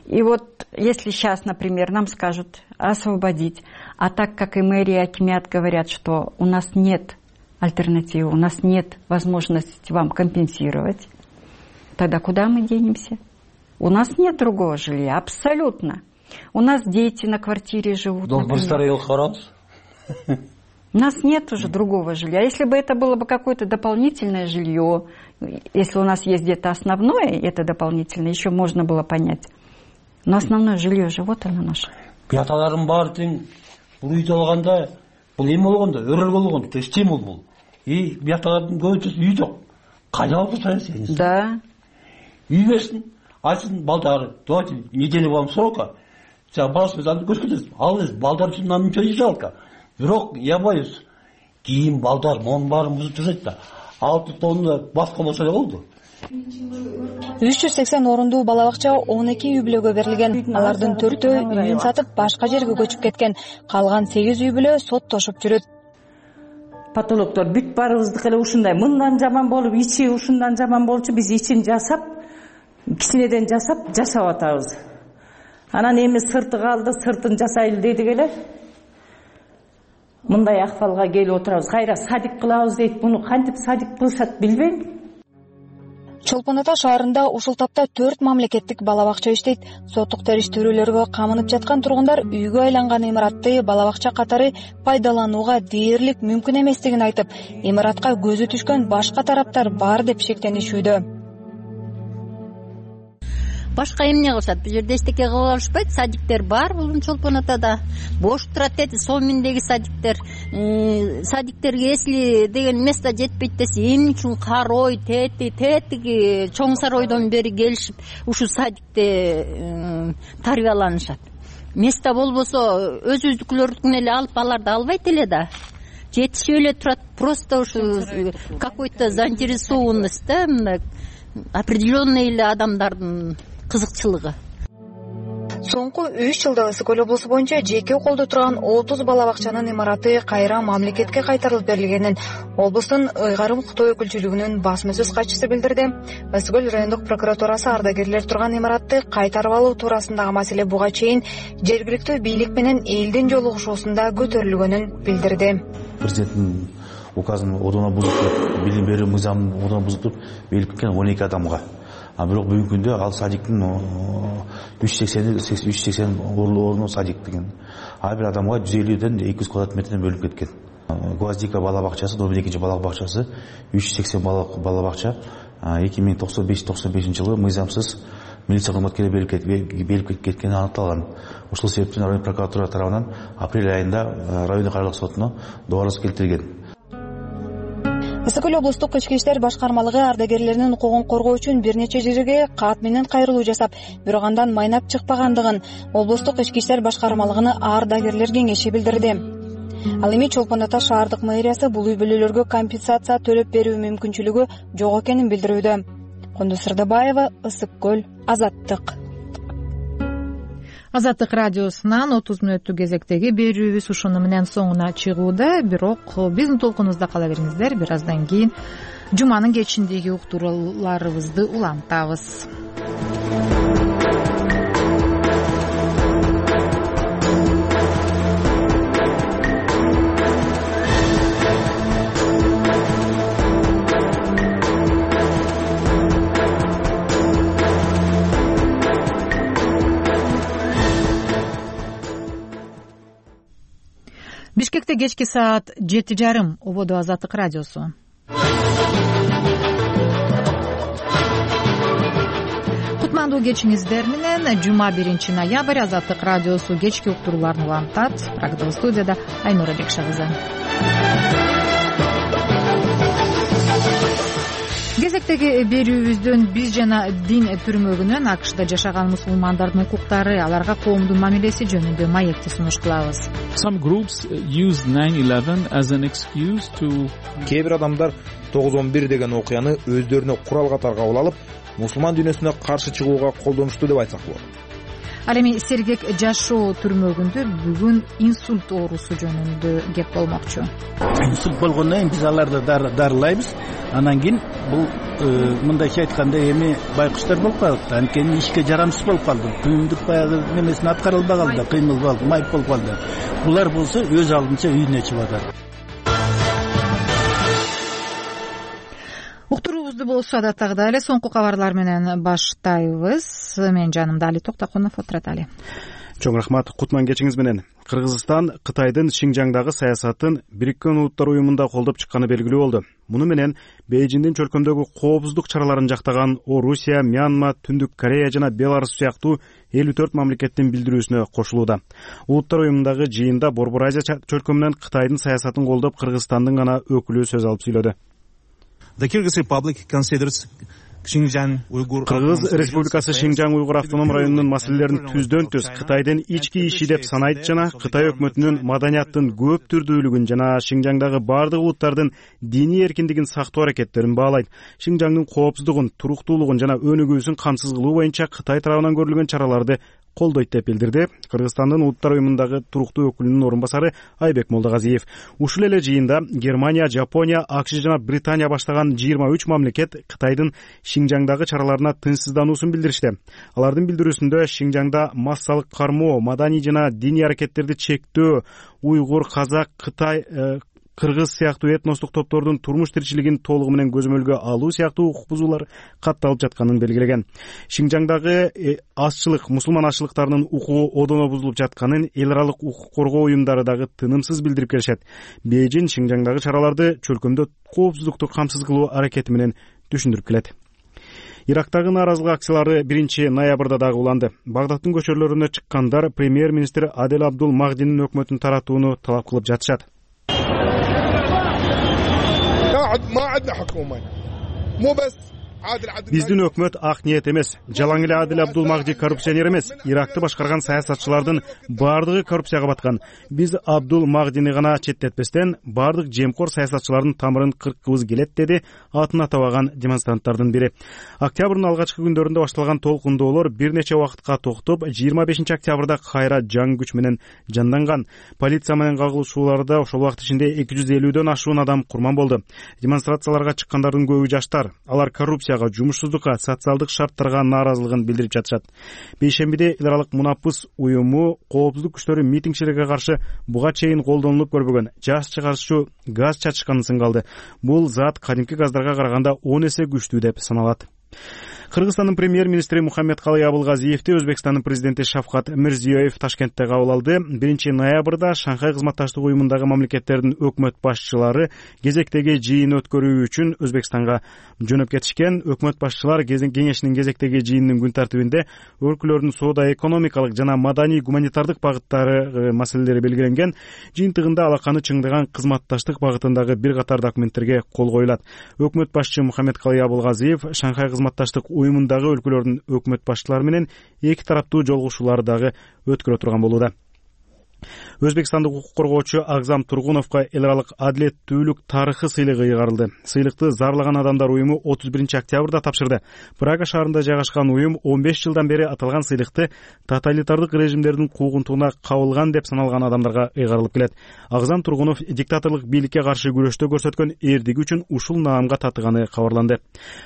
И вот если сейчас, например, нам скажут освободить, а так как и мэрия, и акимят говорят, что у нас нет альтернативы, у нас нет возможности вам компенсировать, тогда куда мы денемся? У нас нет другого жилья, абсолютно. У нас дети на квартире живут. У нас нет уже другого жилья. Если бы это было бы какое-то дополнительное жилье, если у нас есть где-то основное, это дополнительное, еще можно было понять. Но основное жилье же, вот оно наше. Пяталарым бар тең, бул үйдү алганда, бул эме болгондо, өрөл болгондо, то есть стимул бул. И пяталардын көбүнчөсү үй жок. Кайда алып саясий? Да. Үй берсин, айтсын балдары, давайте неделю вам срока. Сен баласы өзүн көрсөтөсүң. Ал эс балдар үчүн нам ничего не жалко. Бирок я боюсь, кийин балдар монун баарын бузуп жүрөт да. Алты тонна баска болсо эле болду. үч жүз сексен орундуу бала бакча он эки үй бүлөгө берилген. Алардын төртөө үйүн сатып башка жерге көчүп кеткен. Калган сегиз үй бүлө соттошуп жүрөт. Патологдор бүт баарыбыздыкы эле ушундай. Мындан жаман болуп, ичи ушундан жаман болчу, биз ичин жасап, кичинеден жасап жашап атабыз. Анан эми сырты калды, сыртын жасайлы дедик эле. Мындай акыбалга келип отурабыз. Кайра садик кылабыз дейт. Муну кантип садик кылышат билбейм. Чолпон Ата шаарында ушул тапта төрт мамлекеттик бала бакча иштейт. Соттук териштирүүлөргө камынып жаткан тургундар үйгө айланган имаратты бала бакча катары пайдаланууга дээрлик мүмкүн эместигин айтып, имаратка көзү түшкөн башка тараптар бар деп шектенишүүдө. Башка эмне кылышат? Бул жерде эчтеке кыла алышпайт. Садиктер бар бул Чолпон Атада. Бош турат дейт, Соминдеги садиктер. Садиктерге эсли деген место жетпейт десе, эмне үчүн Карой, Тети, Тетиги чоң саройдон бери келишип, ушу садикте тарбияланышат. Место болбосо өзүбүздүкүлөрдүн эле алып аларды албайт эле да. Жетишип эле турат. Просто ушу какой-то заинтересованность да, мындай определенный эле адамдардын кызыкчылыгы. Соңку үч жылда Ысык көл облусу боюнча жеке колдо турган отуз бала бакчанын имараты кайра мамлекетке кайтарылып берилгенин облустун ыйгарым укуктоо өкүлчүлүгүнүн басма сөз катчысы билдирди. Ысык көл райондук прокуратурасы ардагерлер турган имаратты кайтарып алуу туурасындагы маселе буга чейин жергиликтүү бийлик менен элдин жолугушуусунда көтөрүлгөнүн билдирди. Президенттин указын одона бузуп, билим берүү мыйзамын одона бузуп, белгилеп кеткен он эки адамга. А бирок бүгүнкү күндө ал садиктин үч жүз сексен орноо садик деген. Ар бир адамга жүз элүүдөн эки жүз квадрат метрден бөлүнүп кеткен. Гвоздика бала бакчасы, номер экинчи бала бакчасы, үч жүз сексен бала бакча эки миң токсон беш токсон бешинчи жылы мыйзамсыз милиция кызматкери берилип кеткени аныкталган. Ошол себептен район прокуратура тарабынан апрель айында райондук аралык сотуна добарыз келтирилген. Ысык көл облустук ички иштер башкармалыгы ардагерлеринин укугун коргоо үчүн бир нече жерге кат менен кайрылуу жасап, бирок андан майнап чыкпагандыгын облустук ички иштер башкармалыгынын ардагерлер кеңеши билдирди. Ал эми Чолпон Ата шаардык мэриясы бул үй бүлөлөргө компенсация төлөп берүү мүмкүнчүлүгү жок экенин билдирүүдө. Кундуз Сырдыбаева, Ысык көл, Азаттык. Азаттык радиосунан отуз мүнөттүк кезектеги берүүбүз ушуну менен соңуна чыгууда. Бирок биздин толкунубузда кала бериңиздер. Бир аздан кийин жуманын кечиндеги уктурууларыбызды улантабыз. Бишкекте кечки саат жети жарым. Ободо Азаттык радиосу. Кутмандуу кечиңиздер менен жума биринчи ноябрь Азаттык радиосу кечки уктурууларын улантат. Программа студияда Айнура Бекшагызы. Кезектеги берүүбүздөн биз жана дин түрмөгүнөн АКШда жашаган мусулмандардын укуктары, аларга коомдун мамилеси жөнүндө маекти сунуш кылабыз. Кээ бир адамдар тогуз он бир деген окуяны өздөрүнө курал катары кабыл алып, мусулман дүйнөсүнө каршы чыгууга колдонушту деп айтсак болот. Ал эми Сергек жашоо түрмөгүндө бүгүн инсульт оорусу жөнүндө кеп болмокчу. Инсульт болгондон кийин биз аларды дарылайбыз. Анан кийин бул мындайча айтканда эми байкуштар болуп калды. Анткени ишке жарамсыз болуп калды. Күйүмдүк баягы немесин аткара албай калды, кыймыл калды, майып болуп калды. Булар болсо өз алдынча үйүнө чыгып атат. Уктуруубузду болсо адаттагыдай эле соңку кабарлар менен баштайбыз. Мен жанымда Али Токтокунов отурат. Али. Чоң рахмат. Кутман кечиңиз менен. Кыргызстан Кытайдын Шинжаңдагы саясатын Бириккен Улуттар уюмунда колдоп чыкканы белгилүү болду. Муну менен Бейжиңдин чөлкөмдөгү коопсуздук чараларын жактаган Орусия, Мьянма, Түндүк Корея жана Беларусь сыяктуу элүү төрт мамлекеттин билдирүүсүнө кошулууда. Улуттар уюмундагы жыйында Борбор Азия чөлкөмүнөн Кытайдын саясатын колдоп Кыргызстандын гана өкүлү сөз алып сүйлөдү. The Kyrgyz Republic considers Кыргыз Республикасы Шинжаң уйгур автоном районунун маселелерин түздөн түз Кытайдын ички иши деп санайт жана Кытай өкмөтүнүн маданияттын көп түрдүүлүгүн жана Шинжаңдагы бардык улуттардын диний эркиндигин сактоо аракеттерин баалайт. Шинжаңдын коопсуздугун, туруктуулугун жана өнүгүүсүн камсыз кылуу боюнча Кытай тарабынан көрүлгөн чараларды колдойт деп билдирди Кыргызстандын Улуттар уюмундагы туруктуу өкүлүнүн орун басары Айбек Молдогазиев. Ушул эле жыйында Германия, Жапония, АКШ жана Британия баштаган жыйырма үч мамлекет Кытайдын Шинжаңдагы чараларына тынчсыздануусун билдиришти. Алардын билдирүүсүндө Шинжаңда массалык кармоо, маданий жана диний аракеттерди чектөө, уйгур, казак, Кытай, кыргыз сыяктуу этностук топтордун турмуш тиричилигин толугу менен көзөмөлгө алуу сыяктуу укук бузуулар катталып жатканын белгилеген. Шинжаңдагы азчылык, мусулман азчылыктарынын укугу одоно бузулуп жатканын эл аралык укук коргоо уюмдары дагы тынымсыз билдирип келишет. Бейжиң Шинжаңдагы чараларды чөлкөмдө коопсуздукту камсыз кылуу аракети менен түшүндүрүп келет. Ирактагы нааразылык акциялары биринчи ноябрда дагы уланды. Багдадтын көчөлөрүнө чыккандар премьер-министр Адель Абдул Махдинин өкмөтүн таратууну талап кылып жатышат. Биздин өкмөт ак ниет эмес. Жалаң эле Адель Абдул Махди коррупционер эмес. Иракты башкарган саясатчылардын бардыгы коррупцияга баткан. Биз Абдул Махдини гана четтетпестен бардык жемкор саясатчылардын тамырын кырккыбыз келет, деди атын атабаган демонстранттардын бири. Октябрдын алгачкы күндөрүндө башталган толкундоолор бир нече убакытка токтоп, жыйырма бешинчи октябрда кайра жаң күч менен жанданган. Полиция менен кагылышууларда ошол убакыт ичинде эки жүз элүүдөн ашуун адам курман болду. Демонстрацияларга чыккандардын көбү жаштар. Алар коррупция, жумушсуздукка, социалдык шарттарга нааразылыгын билдирип жатышат. Бейшембиде эл аралык мунапыс уюму коопсуздук күчтөрү митингчилерге каршы буга чейин колдонулуп көрбөгөн жаш чыгарчу газ чачышканын сынга алды. Бул зат кадимки газдарга караганда он эсе күчтүү деп саналат. Кыргызстандын премьер-министри Мухаммедкалый Абылгазиевди Өзбекстандын президенти Шавкат Мирзиёев Ташкентте кабыл алды. биринчи ноябрда Шанхай кызматташтык уюмундагы мамлекеттердин өкмөт башчылары кезектеги жыйын өткөрүү үчүн Өзбекстанга жөнөп кетишкен. Өкмөт башчылар кеңешинин кезектеги жыйынынын күн тартибинде өлкөлөрдүн соода экономикалык жана маданий гуманитардык багыттары маселелери белгиленген. Жыйынтыгында алаканы чыңдаган кызматташтык багытындагы бир катар документтерге кол коюлат. Өкмөт башчы Мухаммедкалый Абылгазиев Шанхай кызматташтык уюмундагы өлкөлөрдүн өкмөт башчылары менен эки тараптуу жолугушуулар дагы өткөрө турган болууда. Өзбекстандык укук коргоочу Агзам Тургуновго эл аралык адилеттүүлүк тарыхы сыйлыгы ыйгарылды. Сыйлыкты Зарлаган адамдар уюму отуз биринчи октябрда тапшырды. Прага шаарында жайгашкан уюм он беш жылдан бери аталган сыйлыкты тоталитардык режимдердин куугунтугуна кабылган деп саналган адамдарга ыйгарылып келет. Агзам Тургунов диктаторлук бийликке каршы күрөштө көрсөткөн эрдиги үчүн ушул наамга татыганы кабарланды.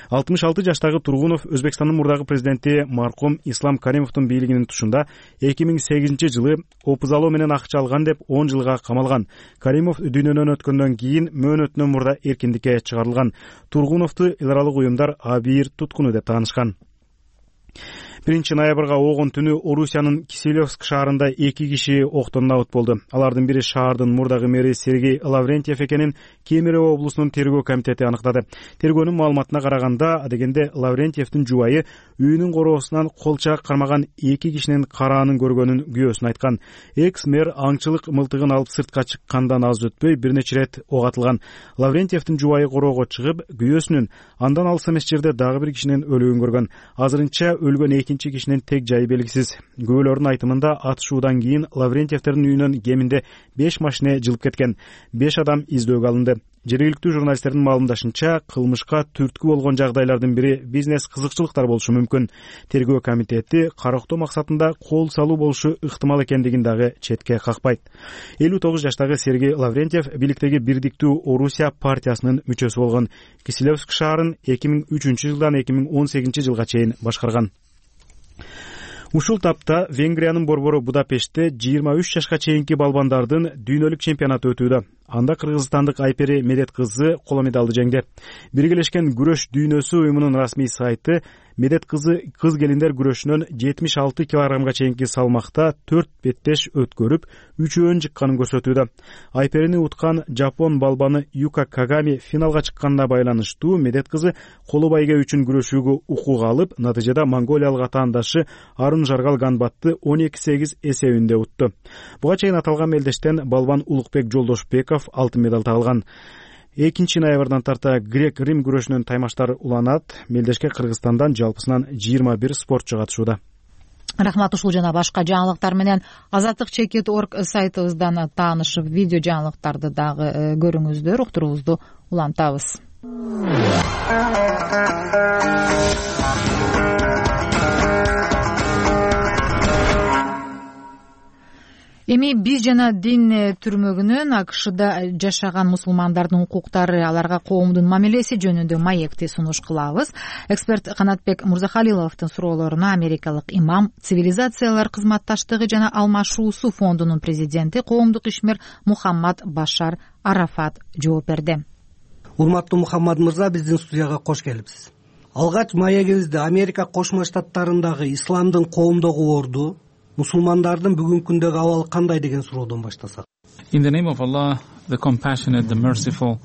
алтымыш алты жаштагы Тургунов Өзбекстандын мурдагы президенти маркум Ислам Каримовдун бийлигинин тушунда эки миң сегизинчи жылы опузалоо менен акча алган деп он жылга камалган. Каримов дүйнөдөн өткөндөн кийин мөөнөтүнөн мурда эркиндикке чыгарылган. Тургуновду эл аралык уюмдар абийир туткуну деп таанышкан. биринчи ноябрга огон түнү Орусиянын Киселевск шаарында эки киши октон набыт болду. Алардын бири шаардын мурдагы мэри Сергей Лаврентьев экенин Кемерово облусунун тергөө комитети аныктады. Тергөөнүн маалыматына караганда, адегенде Лаврентьевдин жубайы үйүнүн короосунан колчак кармаган эки кишинин караанын көргөнүн күбөсүн айткан. Экс-мэр аңчылык мылтыгын алып сыртка чыккандан аз өтпөй бир нече ирет ок атылган. Лаврентьевдин жубайы короого чыгып, күбөсүнүн андан алыс эмес жерде дагы бир кишинин өлүгүн көргөн. Азырынча өлгөн экинчи кишинин тег жайы белгисиз. Күбөлөрдүн айтымында атышуудан кийин Лаврентьевдердин үйүнөн кеминде беш машина жылып кеткен. беш адам издөөгө алынды. Жергиликтүү журналисттердин маалымдашынча, кылмышка түрткү болгон жагдайлардын бири бизнес кызыкчылыктар болушу мүмкүн. Тергөө комитети карактоо максатында кол салуу болушу ыктымал экендигин дагы четке какпайт. элүү тогуз жаштагы Сергей Лаврентьев бийликтеги Бирдиктүү Орусия партиясынын мүчөсү болгон. Киселевск шаарын эки миң үчүнчү жылдан эки миң он сегизинчи жылга чейин башкарган. Ушул тапта Венгриянын борбору Будапештте жыйырма үч жашка чейинки балбандардын дүйнөлүк чемпионаты өтүүдө. Анда кыргызстандык Айпери Медет кызы коло медалды жеңди. Биргелешкен күрөш дүйнөсү уюмунун расмий сайты Медет кызы кыз келиндер күрөшүнөн жетимиш алты килограммга чейинки салмакта төрт беттеш өткөрүп, үчөөн жыкканын көрсөтүүдө. Айперини уткан жапон балбаны Юка Кагами финалга чыкканына байланыштуу Медет кызы коло байге үчүн күрөшүүгө укук алып, натыйжада монголиялык атаандашы Арун Жаргал Ганбатты он эки сегиз эсебинде утту. Буга чейин аталган мелдештен балбан Улукбек Жолдошбеков алтын медалды алган. экинчи ноябрдан тарта грек-рим күрөшүнүн таймаштары уланат. Мелдешке Кыргызстандан жалпысынан жыйырма бир спортчу катышууда. Рахмат. Ушул жана башка жаңылыктар менен азаттык чекит точка орг сайтыбыздан таанышып, видео жаңылыктарды дагы көрүңүздөр. Уктуруубузду улантабыз. Эми биз жана дин түрмөгүнөн АКШда жашаган мусулмандардын укуктары, аларга коомдун мамилеси жөнүндө маекти сунуш кылабыз. Эксперт Канатбек Мурзахалиловдун суроолоруна америкалык имам, цивилизациялар кызматташтыгы жана алмашуусу фондунун президенти, коомдук ишмер Мухаммад Башар Арафат жооп берди. Урматтуу Мухаммад мырза, биздин студияга кош келипсиз. Алгач маегибизди Америка Кошмо Штаттарындагы исламдын коомдогу орду, мусулмандардын бүгүнкү күндөгү абалы кандай деген суроодон баштасак. In the name of Allah, the compassionate, the merciful,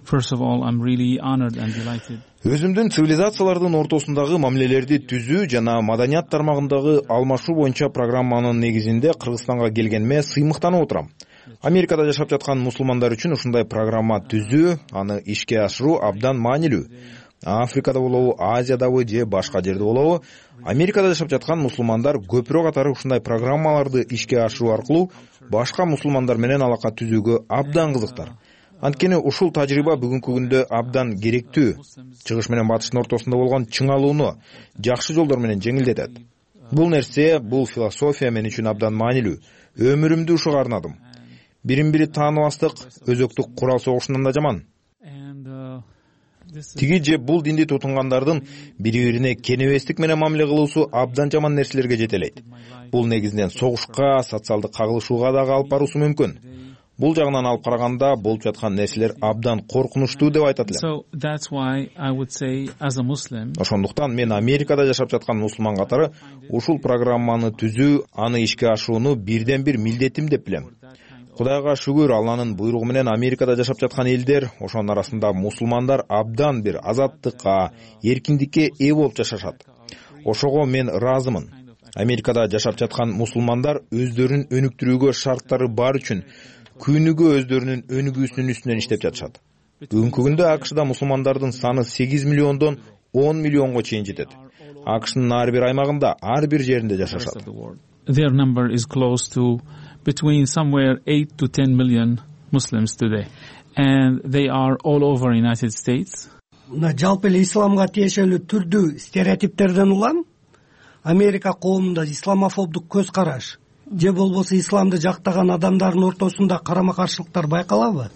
first of all, I'm really honored and delighted. Өзүмдүн цивилизациялардын ортосундагы мамилелерди түзүү жана маданият тармагындагы алмашуу боюнча программанын негизинде Кыргызстанга келгениме сыймыктанып отурам. Америкада жашап жаткан мусулмандар үчүн ушундай программа түзүү, аны ишке ашыруу абдан маанилүү. Африкада болобу, Азиядабы же башка жерде болобу, Америкада жашап жаткан мусулмандар көпүрө катары ушундай программаларды ишке ашыруу аркылуу башка мусулмандар менен алака түзүүгө абдан кызыктар. Анткени ушул тажрыйба бүгүнкү күндө абдан керектүү. Чыгыш менен батыштын ортосунда болгон чыңалууну жакшы жолдор менен жеңилдетет. Бул нерсе, бул философия мен үчүн абдан маанилүү. Өмүрүмдү ушуга арнадым. Бирин-бири тааныбастык өзөктүк курал согушунан да жаман. Тиги же бул динди тутунгандардын бири-бирине кенебестик менен мамиле кылуусу абдан жаман нерселерге жетелейт. Бул негизинен согушка, социалдык кагылышууга дагы алып баруусу мүмкүн. Бул жагынан алып караганда болуп жаткан нерселер абдан коркунучтуу деп айтат элем. Ошондуктан мен Америкада жашап жаткан мусулман катары ушул программаны түзүү, аны ишке ашырууну бирден бир милдетим деп билем. Кудайга шүгүр, Алланын буйругу менен Америкада жашап жаткан элдер, ошонун арасында мусулмандар абдан бир азаттыкка, эркиндикке ээ болуп жашашат. Ошого мен ыраазымын. Америкада жашап жаткан мусулмандар өздөрүн өнүктүрүүгө шарттары бар үчүн күнүгө өздөрүнүн өнүгүүсүнүн үстүнөн иштеп жатышат. Бүгүнкү күндө АКШда мусулмандардын саны сегиз миллиондон он миллионго чейин жетет. АКШнын ар бир аймагында, ар бир жеринде жашашат. Their number is close to between somewhere eight to ten million Muslims today, and they are all over United States. Мына жалпы эле исламга тиешелүү түрдүү стереотиптерден улам Америка коомунда исламофобдук көз караш же болбосо исламды жактаган адамдардын ортосунда карама-каршылыктар байкалабы?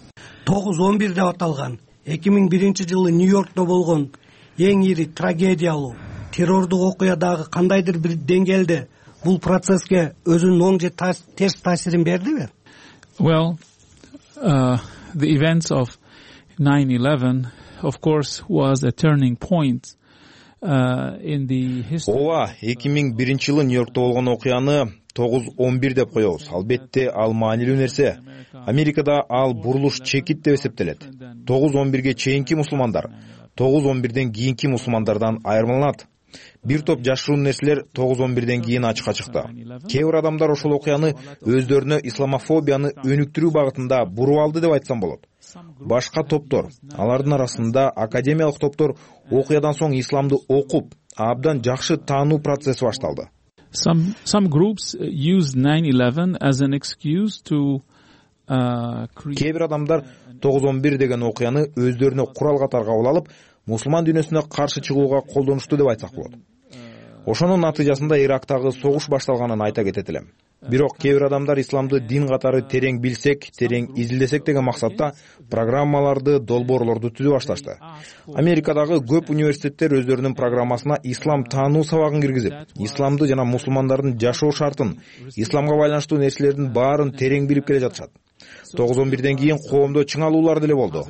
тогуз он бир деп аталган эки миң биринчи жылы Нью-Йоркто болгон эң ири трагедиялуу террордук окуя дагы кандайдыр бир деңгээлде бул процесске өзүнүн оң же терс таасирин бердиби? Well, uh, the events of nine eleven, of course, was a turning point ооба, эки миң биринчи жылы Нью-Йоркто болгон окуяны тогуз он бир деп коебуз. Албетте ал маанилүү нерсе. Америкада ал бурулуш чекит деп эсептелет. тогуз он бирге чейинки мусулмандар тогуз он бирден кийинки мусулмандардан айырмаланат. Бир топ жашыруун нерселер тогуз он бирден кийин ачыкка чыкты. Кээ бир адамдар ошол окуяны өздөрүнө исламофобияны өнүктүрүү багытында буруп алды деп айтсам болот. Башка топтор, алардын арасында академиялык топтор окуядан соң исламды окуп, абдан жакшы таануу процесси башталды. Some some groups use nine eleven as an excuse to uh, Кээ бир адамдар тогуз он бир деген окуяны өздөрүнө курал катары кабыл алып, мусулман дүйнөсүнө каршы чыгууга колдонушту деп айтсак болот. Ошонун натыйжасында Ирактагы согуш башталганын айта кетет элем. Бирок кээ бир адамдар исламды дин катары терең билсек, терең изилдесек деген максатта программаларды, долбоорлорду түзүп башташты. Америкадагы көп университеттер өздөрүнүн программасына ислам таануу сабагын киргизип, исламды жана мусулмандардын жашоо шартын, исламга байланыштуу нерселердин баарын терең билип келе жатышат. тогуз он бирден кийин коомдо чыңалуулар деле болду.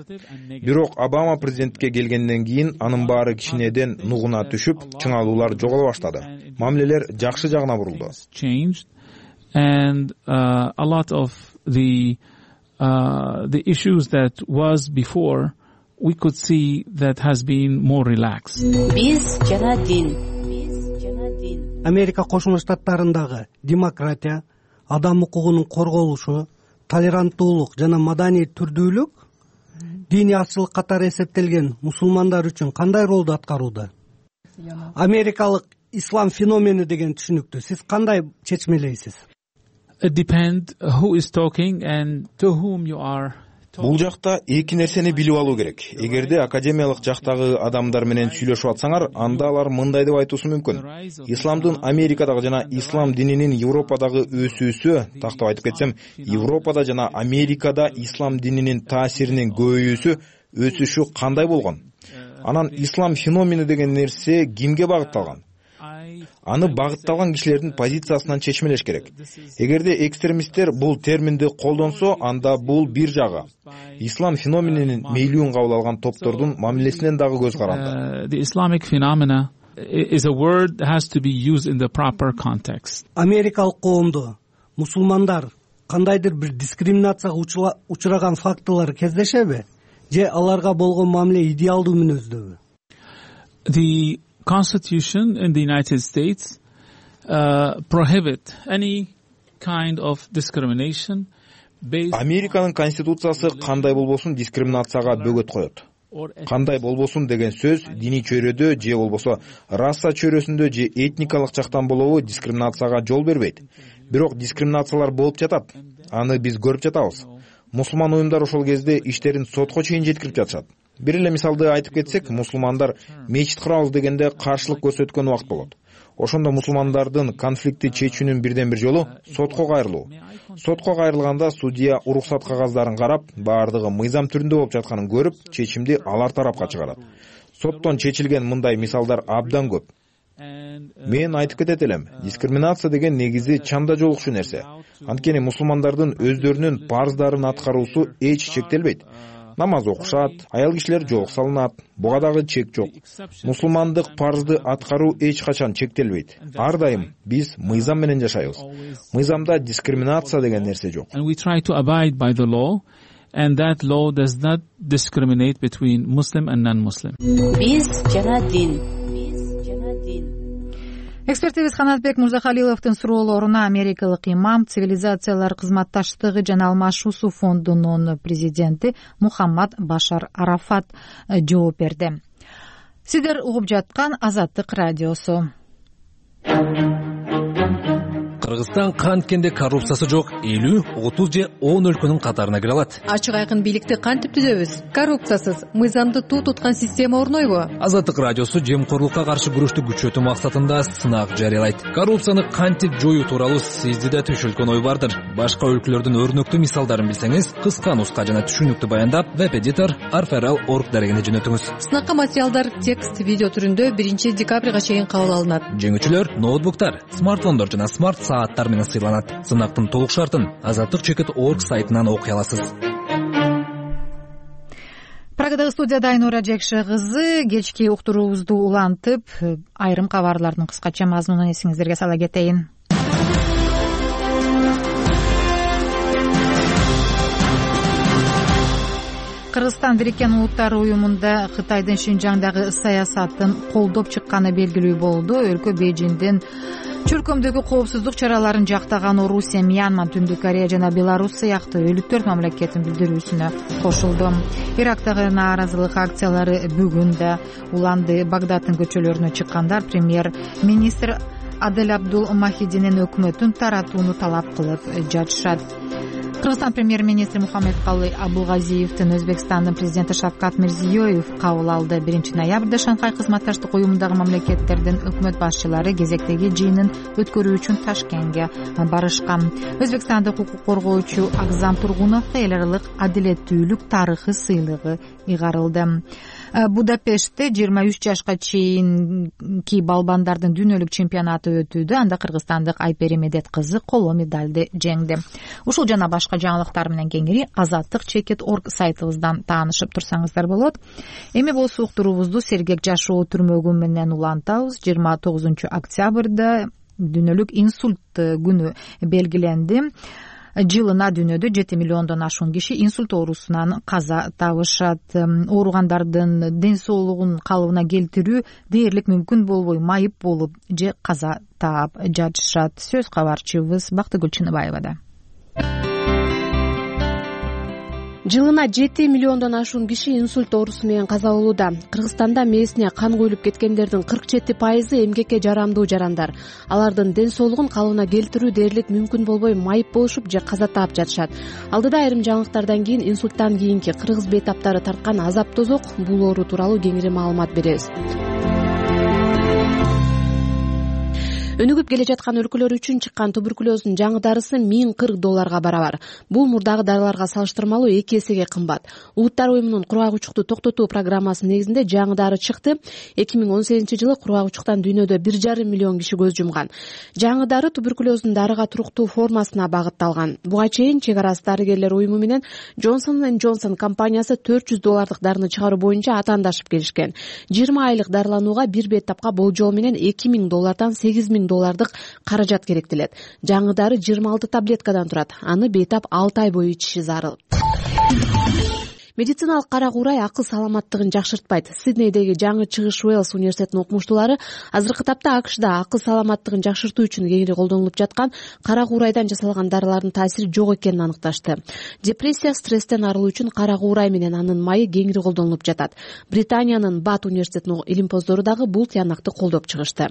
Бирок Обама президентке келгенден кийин анын баары кичинеден нугуна түшүп, чыңалуулар жоголо баштады. Мамилелер жакшы жагына бурулду. And uh, a lot of the uh, the issues that was before, we could see that has been more relaxed. Биз жана дин. Америка Кошмо Штаттарындагы демократия, адам укугунун корголушу, толеранттуулук жана маданий түрдүүлүк диний азчылык катары эсептелген мусулмандар үчүн кандай ролду аткарууда? Америкалык ислам феномени деген түшүнүктү сиз кандай чечмелейсиз? It depends who is talking and to whom you are. Бул жакта эки нерсени билип алуу керек. Эгерде академиялык жактагы адамдар менен сүйлөшүп атсаңар, анда алар мындай деп айтуусу мүмкүн. Исламдын Америкадагы жана ислам дининин Европадагы өсүүсү, тактап айтып кетсем, Европада жана Америкада ислам дининин таасиринин көбөйүүсү, өсүшү кандай болгон? Анан ислам феномени деген нерсе кимге багытталган? Аны багытталган кишилердин позициясынан чечмелеш керек. Эгерде экстремисттер бул терминди колдонсо, анда бул бир жагы. Ислам феноменинин мейлүүн кабыл алган топтордун мамилесинен дагы көз каранды. The Islamic phenomena is a word that has to be used in the proper context. Америкалык коомдо мусулмандар кандайдыр бир дискриминацияга учураган фактылар кездешеби? Же аларга болгон мамиле идеалдуу мүнөздөбү? The Constitution in the United States uh, prohibit any kind of discrimination based. Американын конституциясы кандай болбосун дискриминацияга бөгөт коет. Кандай болбосун деген сөз диний чөйрөдө же болбосо раса чөйрөсүндө же этникалык жактан болобу дискриминацияга жол бербейт. Бирок дискриминациялар болуп жатат. Аны биз көрүп жатабыз. Мусулман уюмдар ошол кезде иштерин сотко чейин жеткирип жатышат. Бир эле мисалды айтып кетсек, мусулмандар мечит курабыз дегенде каршылык көрсөткөн убакыт болот. Ошондо мусулмандардын конфликти чечүүнүн бирден бир жолу сотко кайрылуу. Сотко кайрылганда судья уруксат кагаздарын карап, баардыгы мыйзам түрүндө болуп жатканын көрүп, чечимди алар тарапка чыгарат. Соттон чечилген мындай мисалдар абдан көп. Мен айтып кетет элем, дискриминация деген негизи чанда жолукчу нерсе. Анткени мусулмандардын өздөрүнүн парздарын аткаруусу эч чектелбейт. Намаз окушат, аял кишилер жоок салынат, буга дагы чек жок. Мусулмандык парзды аткаруу эч качан чектелбейт. Ар дайым биз мыйзам менен жашайбыз. Мыйзамда дискриминация деген нерсе жок. And we try to abide by the law, and that law does not discriminate between Muslim and non-Muslim. Биз жана дин. Экспертибиз Канатбек Мурзахалиловдун суроолоруна америкалык имам, цивилизациялар кызматташтыгы жана алмашуусу фондунун президенти Мухаммад Башар Арафат жооп берди. Сиздер угуп жаткан Азаттык радиосу. Кыргызстан канткенде коррупциясы жок элүү, отуз же он өлкөнүн катарына кире алат. Ачык айкын бийликти кантип түзөбүз? Коррупциясыз, мыйзамды туу туткан система орнойбу? Азаттык радиосу жемкорлукка каршы күрөштү күчөтүү максатында сынак жарыялайт. Коррупцияны кантип жоюу тууралуу сизди да түшүлгөн ой бардыр. Башка өлкөлөрдүн өрнөктүү мисалдарын билсеңиз, кыска нуска жана түшүнүктүү баяндап, веб-эдитор арферал точка орг дарегине жөнөтүңүз. Сынакка материалдар текст, видео түрүндө биринчи декабрга чейин кабыл алынат. Жеңүүчүлөр ноутбуктар, смартфондор жана смарт сааттар менен сыйланат. Сынактын толук шартын азаттык чекит точка орг сайтынан окуй аласыз. дагы дагы студияда Айнура Жекше кызы. Кечки уктуруубузду улантып, айрым кабарлардын кыскача мазмунун эсиңиздерге сала кетейин. Кыргызстан Бириккен Улуттар уюмунда Кытайдын Шинжаңдагы саясатын колдоп чыкканы белгилүү болду. Өлкө Бейжиңдин чөлкөмдөгү коопсуздук чараларын жактаган Орусия, Мьянма, Түндүк Корея жана Беларусь сыяктуу өлү төрт мамлекеттин билдирүүсүнө кошулду. Ирактагы нааразылык акциялары бүгүн да уланды. Багдадтын көчөлөрүнө чыккандар премьер-министр Адель Абдул Махидинин өкмөтүн таратууну талап кылып жатышат. Кыргызстан премьер-министри Мухаммедкалый Абулгазиевдин Өзбекстандын президенти Шавкат Мирзиёев кабыл алды. биринчи ноябрда Шанхай кызматташтык уюмундагы мамлекеттердин өкмөт башчылары кезектеги жыйынын өткөрүү үчүн Ташкентке барышкан. Өзбекстандык укук коргоочу Акзам Тургуновго эл аралык адилеттүүлүк тарыхы сыйлыгы ыйгарылды. Будапештте жыйырма үч жашка чейинки балбандардын дүйнөлүк чемпионаты өтүүдө. Анда кыргызстандык Айпери Медет кызы коло медалды жеңди. Ушул жана башка жаңылыктар менен кеңири азаттык чекит точка орг сайтыбыздан таанышып турсаңыздар болот. Эми болсо уктуруубузду сергек жашоо түрмөгү менен улантабыз. жыйырма тогузунчу октябрда дүйнөлүк инсульт күнү белгиленди. Жылына дүйнөдө жети миллиондон ашуун киши инсульт оорусунан каза табышат. Ооругандардын ден соолугун калыбына келтирүү дээрлик мүмкүн болбой майып болуп же каза таап жатышат. Сөз кабарчыбыз Бактыгүл Чыныбаевада. Жылына жети миллиондон ашуун киши инсульт оорусу менен каза болууда. Кыргызстанда мээсине кан куюлуп кеткендердин кырк жети пайызы эмгекке жарамдуу жарандар. Алардын ден соолугун калыбына келтирүү дээрлик мүмкүн болбой майып болушуп же каза таап жатышат. Алдыда айрым жаңылыктардан кийин инсульттан кийинки кыргыз бейтаптары тарткан азап тозок, бул оору тууралуу кеңири маалымат беребиз. Өнүгүп келе жаткан өлкөлөр үчүн чыккан туберкулездун жаңы дарысы миң кырк долларга барабар. Бул мурдагы дарыларга салыштырмалуу эки эсеге кымбат. Улуттар уюмунун кургак учукту токтотуу программасынын негизинде жаңы дары чыкты. эки миң он сегизинчи жылы кургак учуктан дүйнөдө бир жарым миллион киши көз жумган. Жаңы дары туберкулездун дарыга туруктуу формасына багытталган. Буга чейин чек арасы дарыгерлер уюму менен Johnson энд Johnson компаниясы төрт жүз доллардык дарыны чыгаруу боюнча атаандашып келишкен. жыйырма айлык дарыланууга бир бейтапка болжол менен эки миң доллардан сегиз миң доллардык каражат керектелет. Жаңы дары жыйырма алты таблеткадан турат. Аны бейтап алты ай бою ичиши зарыл. Медициналык кара куурай акыл саламаттыгын жакшыртпайт. Сиднейдеги жаңы чыгыш Уэльс университетинин окумуштуулары азыркы тапта АКШда акыл саламаттыгын жакшыртуу үчүн кеңири колдонулуп жаткан кара куурайдан жасалган дарылардын таасири жок экенин аныкташты. Депрессия, стресстен арылуу үчүн кара куурай менен анын майы кеңири колдонулуп жатат. Британиянын Бат университетинин илимпоздору дагы бул тыянакты колдоп чыгышты.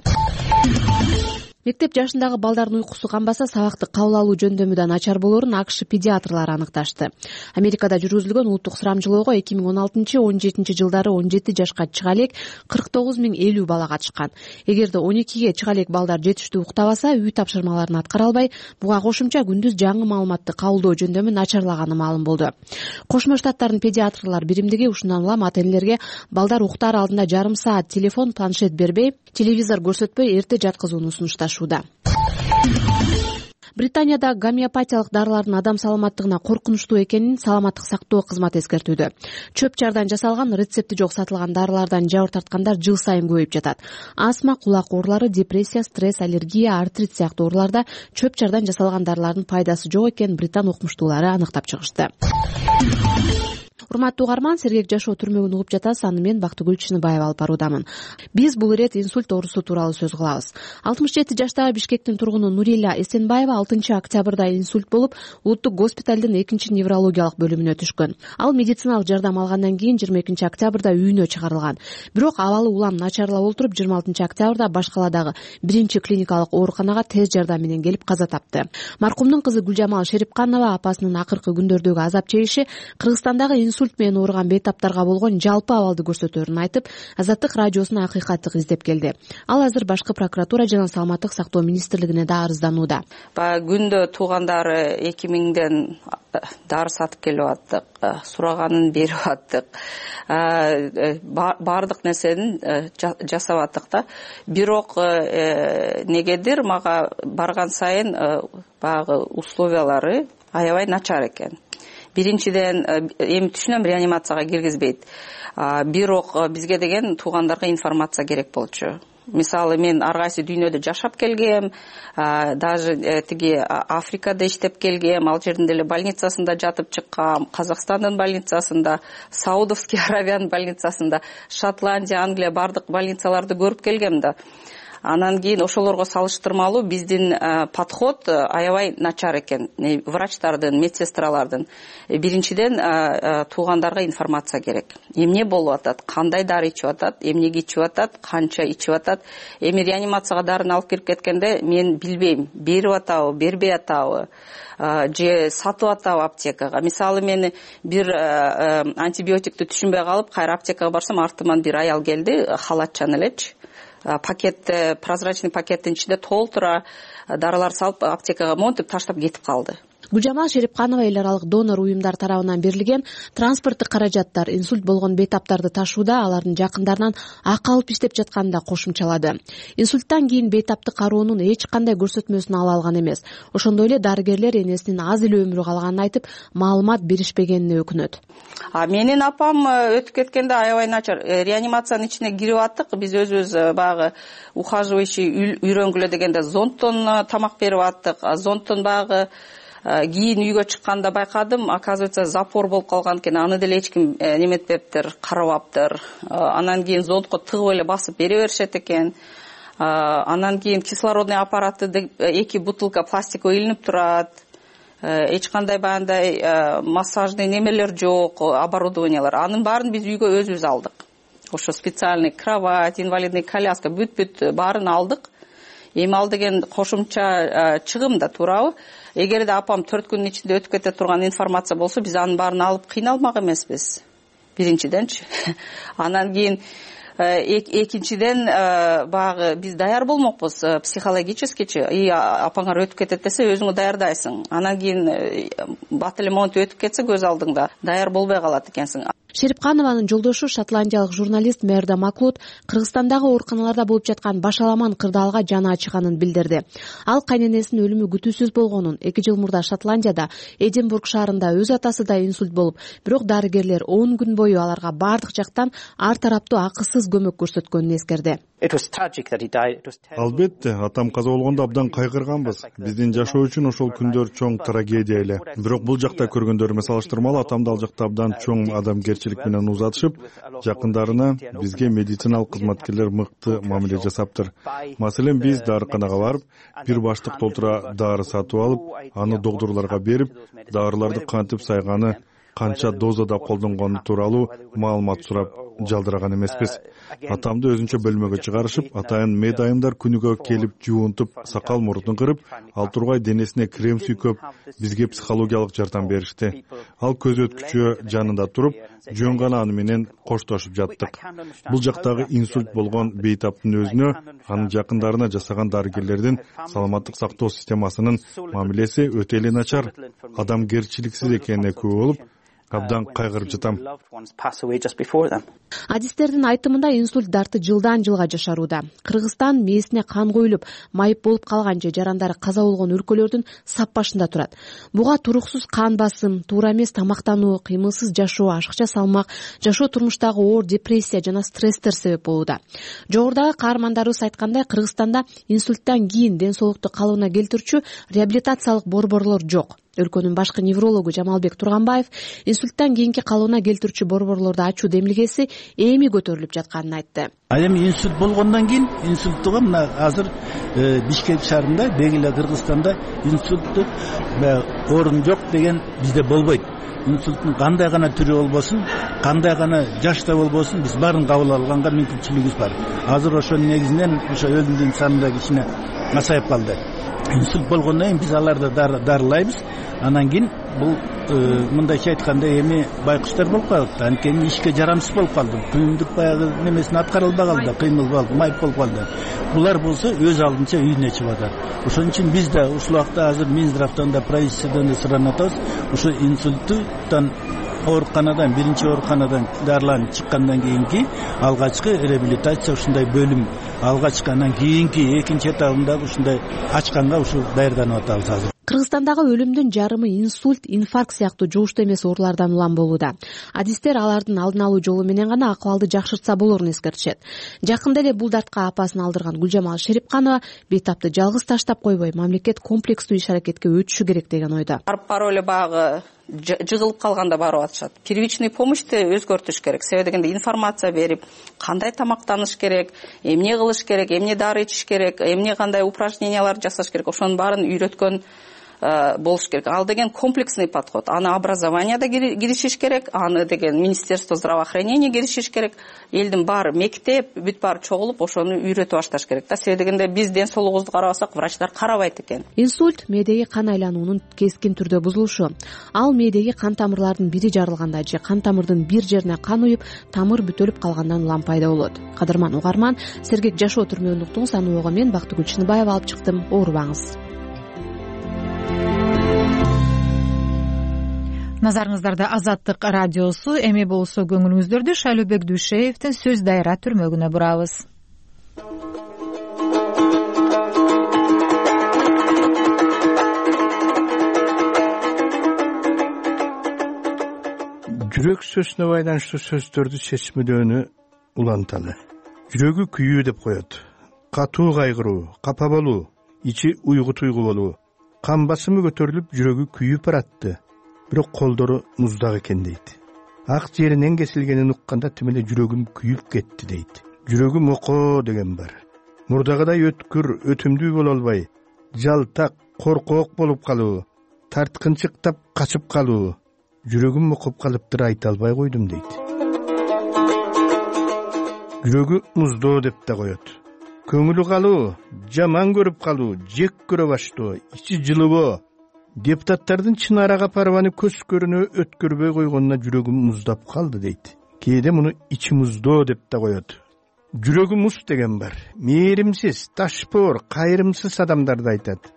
Мектеп жашындагы балдардын уйкусу канбаса сабакты кабыл алуу жөндөмү начар болоорун АКШ педиатрлары аныкташты. Америкада жүргүзүлгөн улуттук сурамжылоого эки миң он алтынчы он жетинчи жылдары он жети жашка чыга элек кырк тогуз миң элүү бала катышкан. Эгерде он экиге чыга элек балдар жетиштүү уктабаса, үй тапшырмаларын аткара албай, буга кошумча күндүз жаңы маалыматты кабылдоо жөндөмү начарлаганы маалым болду. Кошмо Штаттардын педиатрлар биримдиги ушундан улам ата энелерге балдар уктаар алдында жарым саат телефон, планшет бербей, телевизор көрсөтпөй эрте жаткызууну сунушташты. Британияда гомеопатиялык дарылардын адам саламаттыгына коркунучтуу экенин саламаттык сактоо кызматы эскертүүдө. Чөп чардан жасалган, рецепти жок сатылган дарылардан жабыр тарткандар жыл сайын көбөйүп жатат. Астма, кулак оорулары, депрессия, стресс, аллергия, артрит сыяктуу ооруларда чөп чардан жасалган дарылардын пайдасы жок экенин британ окумуштуулары аныктап чыгышты. Урматтуу угарман, сергек жашоо түрмөгүн угуп жатасыз. Аны мен Бактыгүл Чыныбаева алып баруудамын. Биз бул ирет инсульт оорусу тууралуу сөз кылабыз. алтымыш жети жаштагы Бишкектин тургуну Нурила Эсенбаева алтынчы октябрда инсульт болуп, улуттук госпиталдын экинчи неврологиялык бөлүмүнө түшкөн. Ал медициналык жардам алгандан кийин жыйырма экинчи октябрда үйүнө чыгарылган. Бирок абалы улам начарлап олтуруп, жыйырма алтынчы октябрда Башкаладагы биринчи клиникалык ооруканага тез жардам менен келип каза тапты. Маркумдун кызы Гүлжамал Шерипканова апасынын акыркы күндөрдөгү азап чегиши, Кыргызстандагы инсульт менен ооруган бейтаптарга болгон жалпы абалды көрсөтөөрүн айтып, Азаттык радиосуна акыйкатты издеп келди. Ал азыр башкы прокуратура жана саламаттык сактоо министрлигине да арызданууда. Баягы күндө туугандары эки миңден дары сатып келип аттык, сураганын берип аттык. Баардык нерсени жасап аттык да. Бирок негедир мага барган сайын баягы условиялары аябай начар экен. биринчиден эми түшүнөм, реанимацияга киргизбейт, бирок бизге деген туугандарга информация керек болчу. Мисалы мен ар кайсы дүйнөдө жашап келгем, даже тиги Африкада иштеп келгем, ал жердин деле больницасында жатып чыккам, Казакстандын больницасында, Саудовский Аравиянын больницасында, Шотландия, Англия бардык больницаларды көрүп келгем да. Анан кийин ошолорго салыштырмалуу биздин подход аябай начар экен. Врачтардын, медсестралардын. Биринчиден туугандарга информация керек. Эмне болуп атат, кандай дары ичип атат, эмнеге ичип атат, канча ичип атат. Эми реанимацияга дарын алып кирип кеткенде мен билбейм, берип атабы, бербей атабы, же сатып атабы аптекага. Мисалы мен бир антибиотикти түшүнбөй калып, кайра аптекага барсам, артыман бир аял келди, халатчан элечи. Пакет, прозрачный пакеттин ичинде толтура дарылар салып аптекага монтип таштап кетип калды. Гүлжамал Шерипканова эл аралык донор уюмдар тарабынан берилген транспорттук каражаттар инсульт болгон бейтаптарды ташууда алардын жакындарынан акы алып иштеп жатканын да кошумчалады. Инсульттан кийин бейтаптык кароонун эч кандай көрсөтмөсүн ала алган эмес. Ошондой эле дарыгерлер энесинин аз эле өмүрү калганын айтып, маалымат беришпегенине өкүнөт. А менин апам өтүп кеткенде аябай начар. Реанимациянын ичине кирип аттык, биз өзүбүз багы ухаживающий үйрөнгүлө дегенде зонттон тамак берип аттык. Зонттон багы кийин үйгө чыкканда байкадым, оказывается, запор болуп калган экен. Аны деле эч ким неметпептир, карабаптыр. Анан кийин зонтко тыгып эле басып бере беришет экен. Анан кийин кислородный аппараты эки бутылка пластиковый илинип турат. Эч кандай баягындай массажный немелер жок, оборудованиялар. Анын баарын биз үйгө өзүбүз алдык. Ошо специальный кровать, инвалидный коляска, бүт-бүт баарын алдык. Эми ал деген кошумча чыгым да, туурабы? Эгерде апам төрт күнүн ичинде өтүп кете турган информация болсо, биз анын баарын алып кыйналмак эмеспиз. Биринчиденчи. Анан кийин экинчиден багы биз даяр болмокпуз психологическичи. И апаңар өтүп кетет десе, өзүңө даярдайсың. Анан кийин бат эле монтип өтүп кетсе, көз алдыңда даяр болбой калат экенсиң. Шерипканованын жолдошу шотландиялык журналист Мерда Маклуд Кыргызстандагы ооруканаларда болуп жаткан башаламан кырдаалга жаны ачыганын билдирди. Ал кайненесинин өлүмү күтүүсүз болгонун, эки жыл мурда Шотландияда Эдинбург шаарында өз атасы да инсульт болуп, бирок дарыгерлер он күн бою аларга бардык жактан ар тараптуу акысыз көмөк көрсөткөнүн эскерди. Албетте, атам каза болгондо абдан кайгырганбыз. Биздин жашоо үчүн ошол күндөр чоң трагедия эле. Бирок бул жакта көргөндөрүмө салыштырмалуу атамды ал жакта абдан чоң адамгерчилик менен узатышып, жакындарына, бизге медициналык кызматкерлер мыкты мамиле жасаптыр. Маселен, биз дарыканага барып, бир баштык толтура дары сатып алып, аны доктурларга берип, дарыларды кантип сайганы, канча дозада колдонгону тууралуу маалымат сурап жалдыраган эмеспиз. Атамды өзүнчө бөлмөгө чыгарышып, атайын медайымдар күнүгө келип жуунтуп, сакал мурдун кырып, ал тургай денесине крем сүйкөп, бизге психологиялык жардам беришти. Ал көз өткүчү жанында туруп, жөн гана аны менен коштошуп жаттык. Бул жактагы инсульт болгон бейтаптын өзүнө, анын жакындарына жасаган дарыгерлердин саламаттык сактоо системасынын мамилеси өтө эле начар, адамгерчиликсиз экенине күбө болуп, абдан кайгырып жатам. Адистердин айтымында инсульт дарты жылдан жылга жашарууда. Кыргызстан мээсине кан коюлуп, майып болуп калган же жарандары каза болгон өлкөлөрдүн сап башында турат. Буга туруксуз кан басым, туура эмес тамактануу, кыймылсыз жашоо, ашыкча салмак, жашоо турмуштагы оор депрессия жана стресстер себеп болууда. Жогорудагы каармандарыбыз айткандай, Кыргызстанда инсульттан кийин ден соолукту калыбына келтирүүчү реабилитациялык борборлор жок. Өлкөнүн башкы неврологу Жамалбек Турганбаев инсульттан кийинки калыбына келтирүүчү борборлорду ачуу демилгеси эми көтөрүлүп жатканын айтты. Ал эми инсульт болгондон кийин инсульттуга мына азыр Бишкек шаарында, Бегиле Кыргызстанда инсультту орун жок деген бизде болбойт. Инсульттун кандай гана түрү болбосун, кандай гана жашта болбосун, биз баарын кабыл алганга мүмкүнчүлүгүбүз бар. Азыр ошонун негизинен ошо өлүмдүн саны да кичине азайып калды. Инсульт болгондон кийин биз аларды дарылайбыз. Анан кийин бул мындайча айтканда эми байкуштар болуп калды. Анткени ишке жарамсыз болуп калды. Күндүк баягы немесин аткара албай калды, кыймыл болуп, майып болуп калды. Булар болсо өз алдынча үйүнө чыгып атат. Ошон үчүн биз да ушул убакта азыр Минздравтан да правительстводон да суранып атабыз. Ушу инсульттан ооруканадан, биринчи ооруканадан дарыланып чыккандан кийинки алгачкы реабилитация ушундай бөлүм, алгачкы анан кийинки экинчи этабында ушундай ачканга ушу даярданып атабыз азыр. Кыргызстандагы өлүмдүн жарымы инсульт, инфаркт сыяктуу жугуштуу эмес оорулардан улам болууда. Адистер алардын алдын алуу жолу менен гана акыбалды жакшыртса болорун эскертишет. Жакында эле бул дартка апасын алдырган Гүлжамал Шерипканова бейтапты жалгыз таштап койбой, мамлекет комплекстүү иш аракетке өтүшү керек деген ойдо. Барып барып эле баягы жыгылып калганда барып атышат. Первичный помощьты өзгөртүш керек. Себеби дегенде информация берип, кандай тамактаныш керек, эмне кылыш керек, эмне дары ичиш керек, эмне кандай упражнениялар жасаш керек, ошонун баарын үйрөткөн болуш керек. Ал деген комплексный подход. Аны образованияда киришиш керек, аны деген Министерство здравоохранения киришиш керек. Элдин баары мектеп, бүт баары чогулуп, ошону үйрөтүп башташ керек да. Себеби дегенде биз ден соолугубузду карабасак, врачтар карабайт экен. Инсульт мээдеги кан айлануунун кескин түрдө бузулушу. Ал мээдеги кан тамырлардын бири жарылганда же кан тамырдын бир жерине кан уюп, тамыр бүтөлүп калгандан улам пайда болот. Кадырман угарман, сергек жашоо түрмөгүн уктуңуз. Аны ого мен Бактыгүл Чыныбаева алып чыктым. Оорубаңыз. Назарыңыздарда Азаттык радиосу. Эми болсо көңүлүңүздөрдү Шайлообек Дүйшеевдин Сөз дайра түрмөгүнө бурабыз. Жүрөк сөзүнө байланыштуу сөздөрдү чечмелөөнү уланталы. Жүрөгү күйүү деп коет. Катуу кайгыруу, капа болуу, ичи уйгу туйгу болуу. Кан басымы көтөрүлүп, жүрөгү күйүп баратты. Бирок колдору муздак экен дейт. Ак жеринен кесилгенин укканда тим эле жүрөгүм күйүп кетти дейт. Жүрөгүм окоо деген бар. Мурдагыдай өткүр, өтүмдүү боло албай, жалтак, коркоок болуп калуу, тарткынчыктап качып калуу. Жүрөгүм окуп калыптыр, айта албай койдум дейт. Жүрөгү муздоо деп да коет. Көңүлү калуу, жаман көрүп калуу, жек көрө баштоо, ичи жылыбоо. Депутаттардын чын арага парваны көз көрүнө өткөрбөй койгонуна жүрөгүм муздап калды дейт. Кээде муну ичи муздоо деп да коет. Жүрөгү муз деген бар. Мээримсиз, ташпоор, кайрымсыз адамдарды айтат.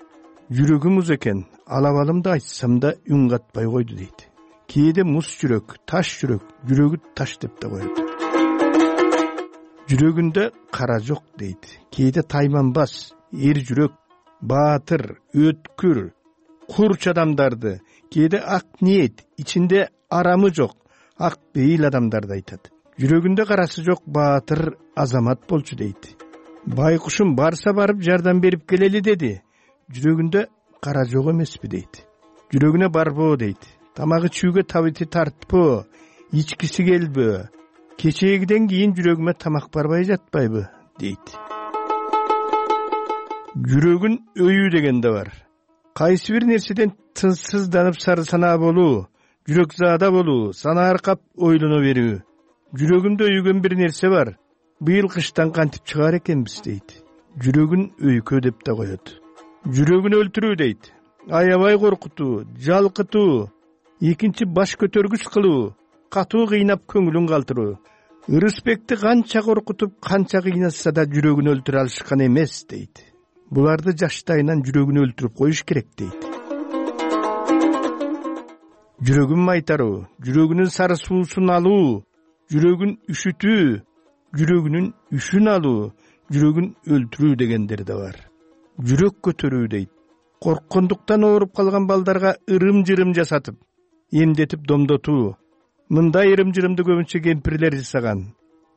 Жүрөгү муз экен, алабалымды айтсам да үн катпай койду дейт. Кээде муз жүрөк, таш жүрөк, жүрөгү таш деп да коет. Жүрөгүндө кара жок дейт. Кээде тайманбас, эр жүрөк, баатыр, өткүр, курч адамдарды, кээде ак ниет, ичинде арамы жок, ак бейил адамдарды айтат. Жүрөгүндө карасы жок баатыр азамат болчу дейт. Байкушум барса барып жардам берип келели деди. Жүрөгүндө кара жок эмеспи дейт. Жүрөгүнө барбоо дейт. Тамагы чүүгө табити тартпоо, ичкиси келбөө. Кечегиден кийин жүрөгүмө тамак барбай жатпайбы дейт. Жүрөгүн өйүү деген да бар. Кайсы бир нерседен тынчсызданып сары санаа болуу, жүрөк заада болуу, сана аркап ойлоно берүү. Жүрөгүмдө өйгөн бир нерсе бар. Быйыл кыштан кантип чыгаар экенбиз дейт. Жүрөгүн өйкө деп да коет. Жүрөгүн өлтүрүү дейт. Аябай коркутуу, жалкытуу, экинчи баш көтөргүч кылуу, катуу кыйнап көңүлүн калтыруу. Ырысбекти канча коркутуп, канча кыйнатса да жүрөгүн өлтүрө алышкан эмес дейт. Буларды жаштайынан жүрөгүн өлтүрүп коюш керек дейт. Жүрөгүн майтаруу, жүрөгүнүн сары суусун алуу, жүрөгүн үшүтүү, жүрөгүнүн үшүн алуу, жүрөгүн өлтүрүү дегендер да бар. Жүрөк көтөрүү дейт. Корккондуктан ооруп калган балдарга ырым-жырым жасатып, эмдетип домдотуу. Мындай ырым-жырымды көбүнчө кемпирлер жасаган.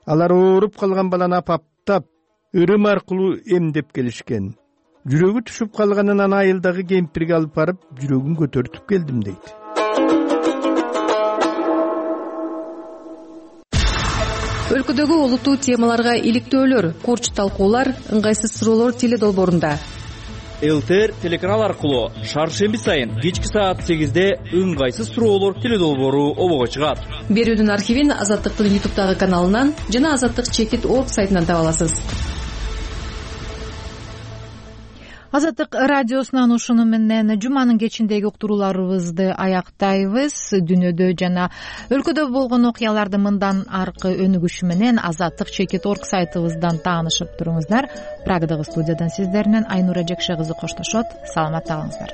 Алар ооруп калган баланы апаптап, ырым аркылуу эмдеп келишкен. Жүрөгү түшүп калганынан айылдагы кемпирге алып барып, жүрөгүн көтөртүп келдим дейт. Өлкөдөгү олуттуу темаларга иликтөөлөр, курч талкуулар, ыңгайсыз суроолор теледолбоорунда. ЛТР телеканал аркылуу шаршемби сайын кечки саат сегизде ыңгайсыз суроолор теледолбоору обого чыгат. Берүүнүн архивин Азаттыктын ютубтагы каналынан жана Азаттык чекит орг сайтынан таба аласыз. Азаттык радиосунан ушуну менен жуманын кечиндеги уктурууларыбызды аяктайбыз. Дүйнөдө жана өлкөдө болгон окуяларды мындан аркы өнүгүшү менен Азаттык чекит орг сайтыбыздан таанышып туруңуздар. Прагадагы студиядан сиздер менен Айнура Жекше кызы коштошот. Саламатта калыңыздар.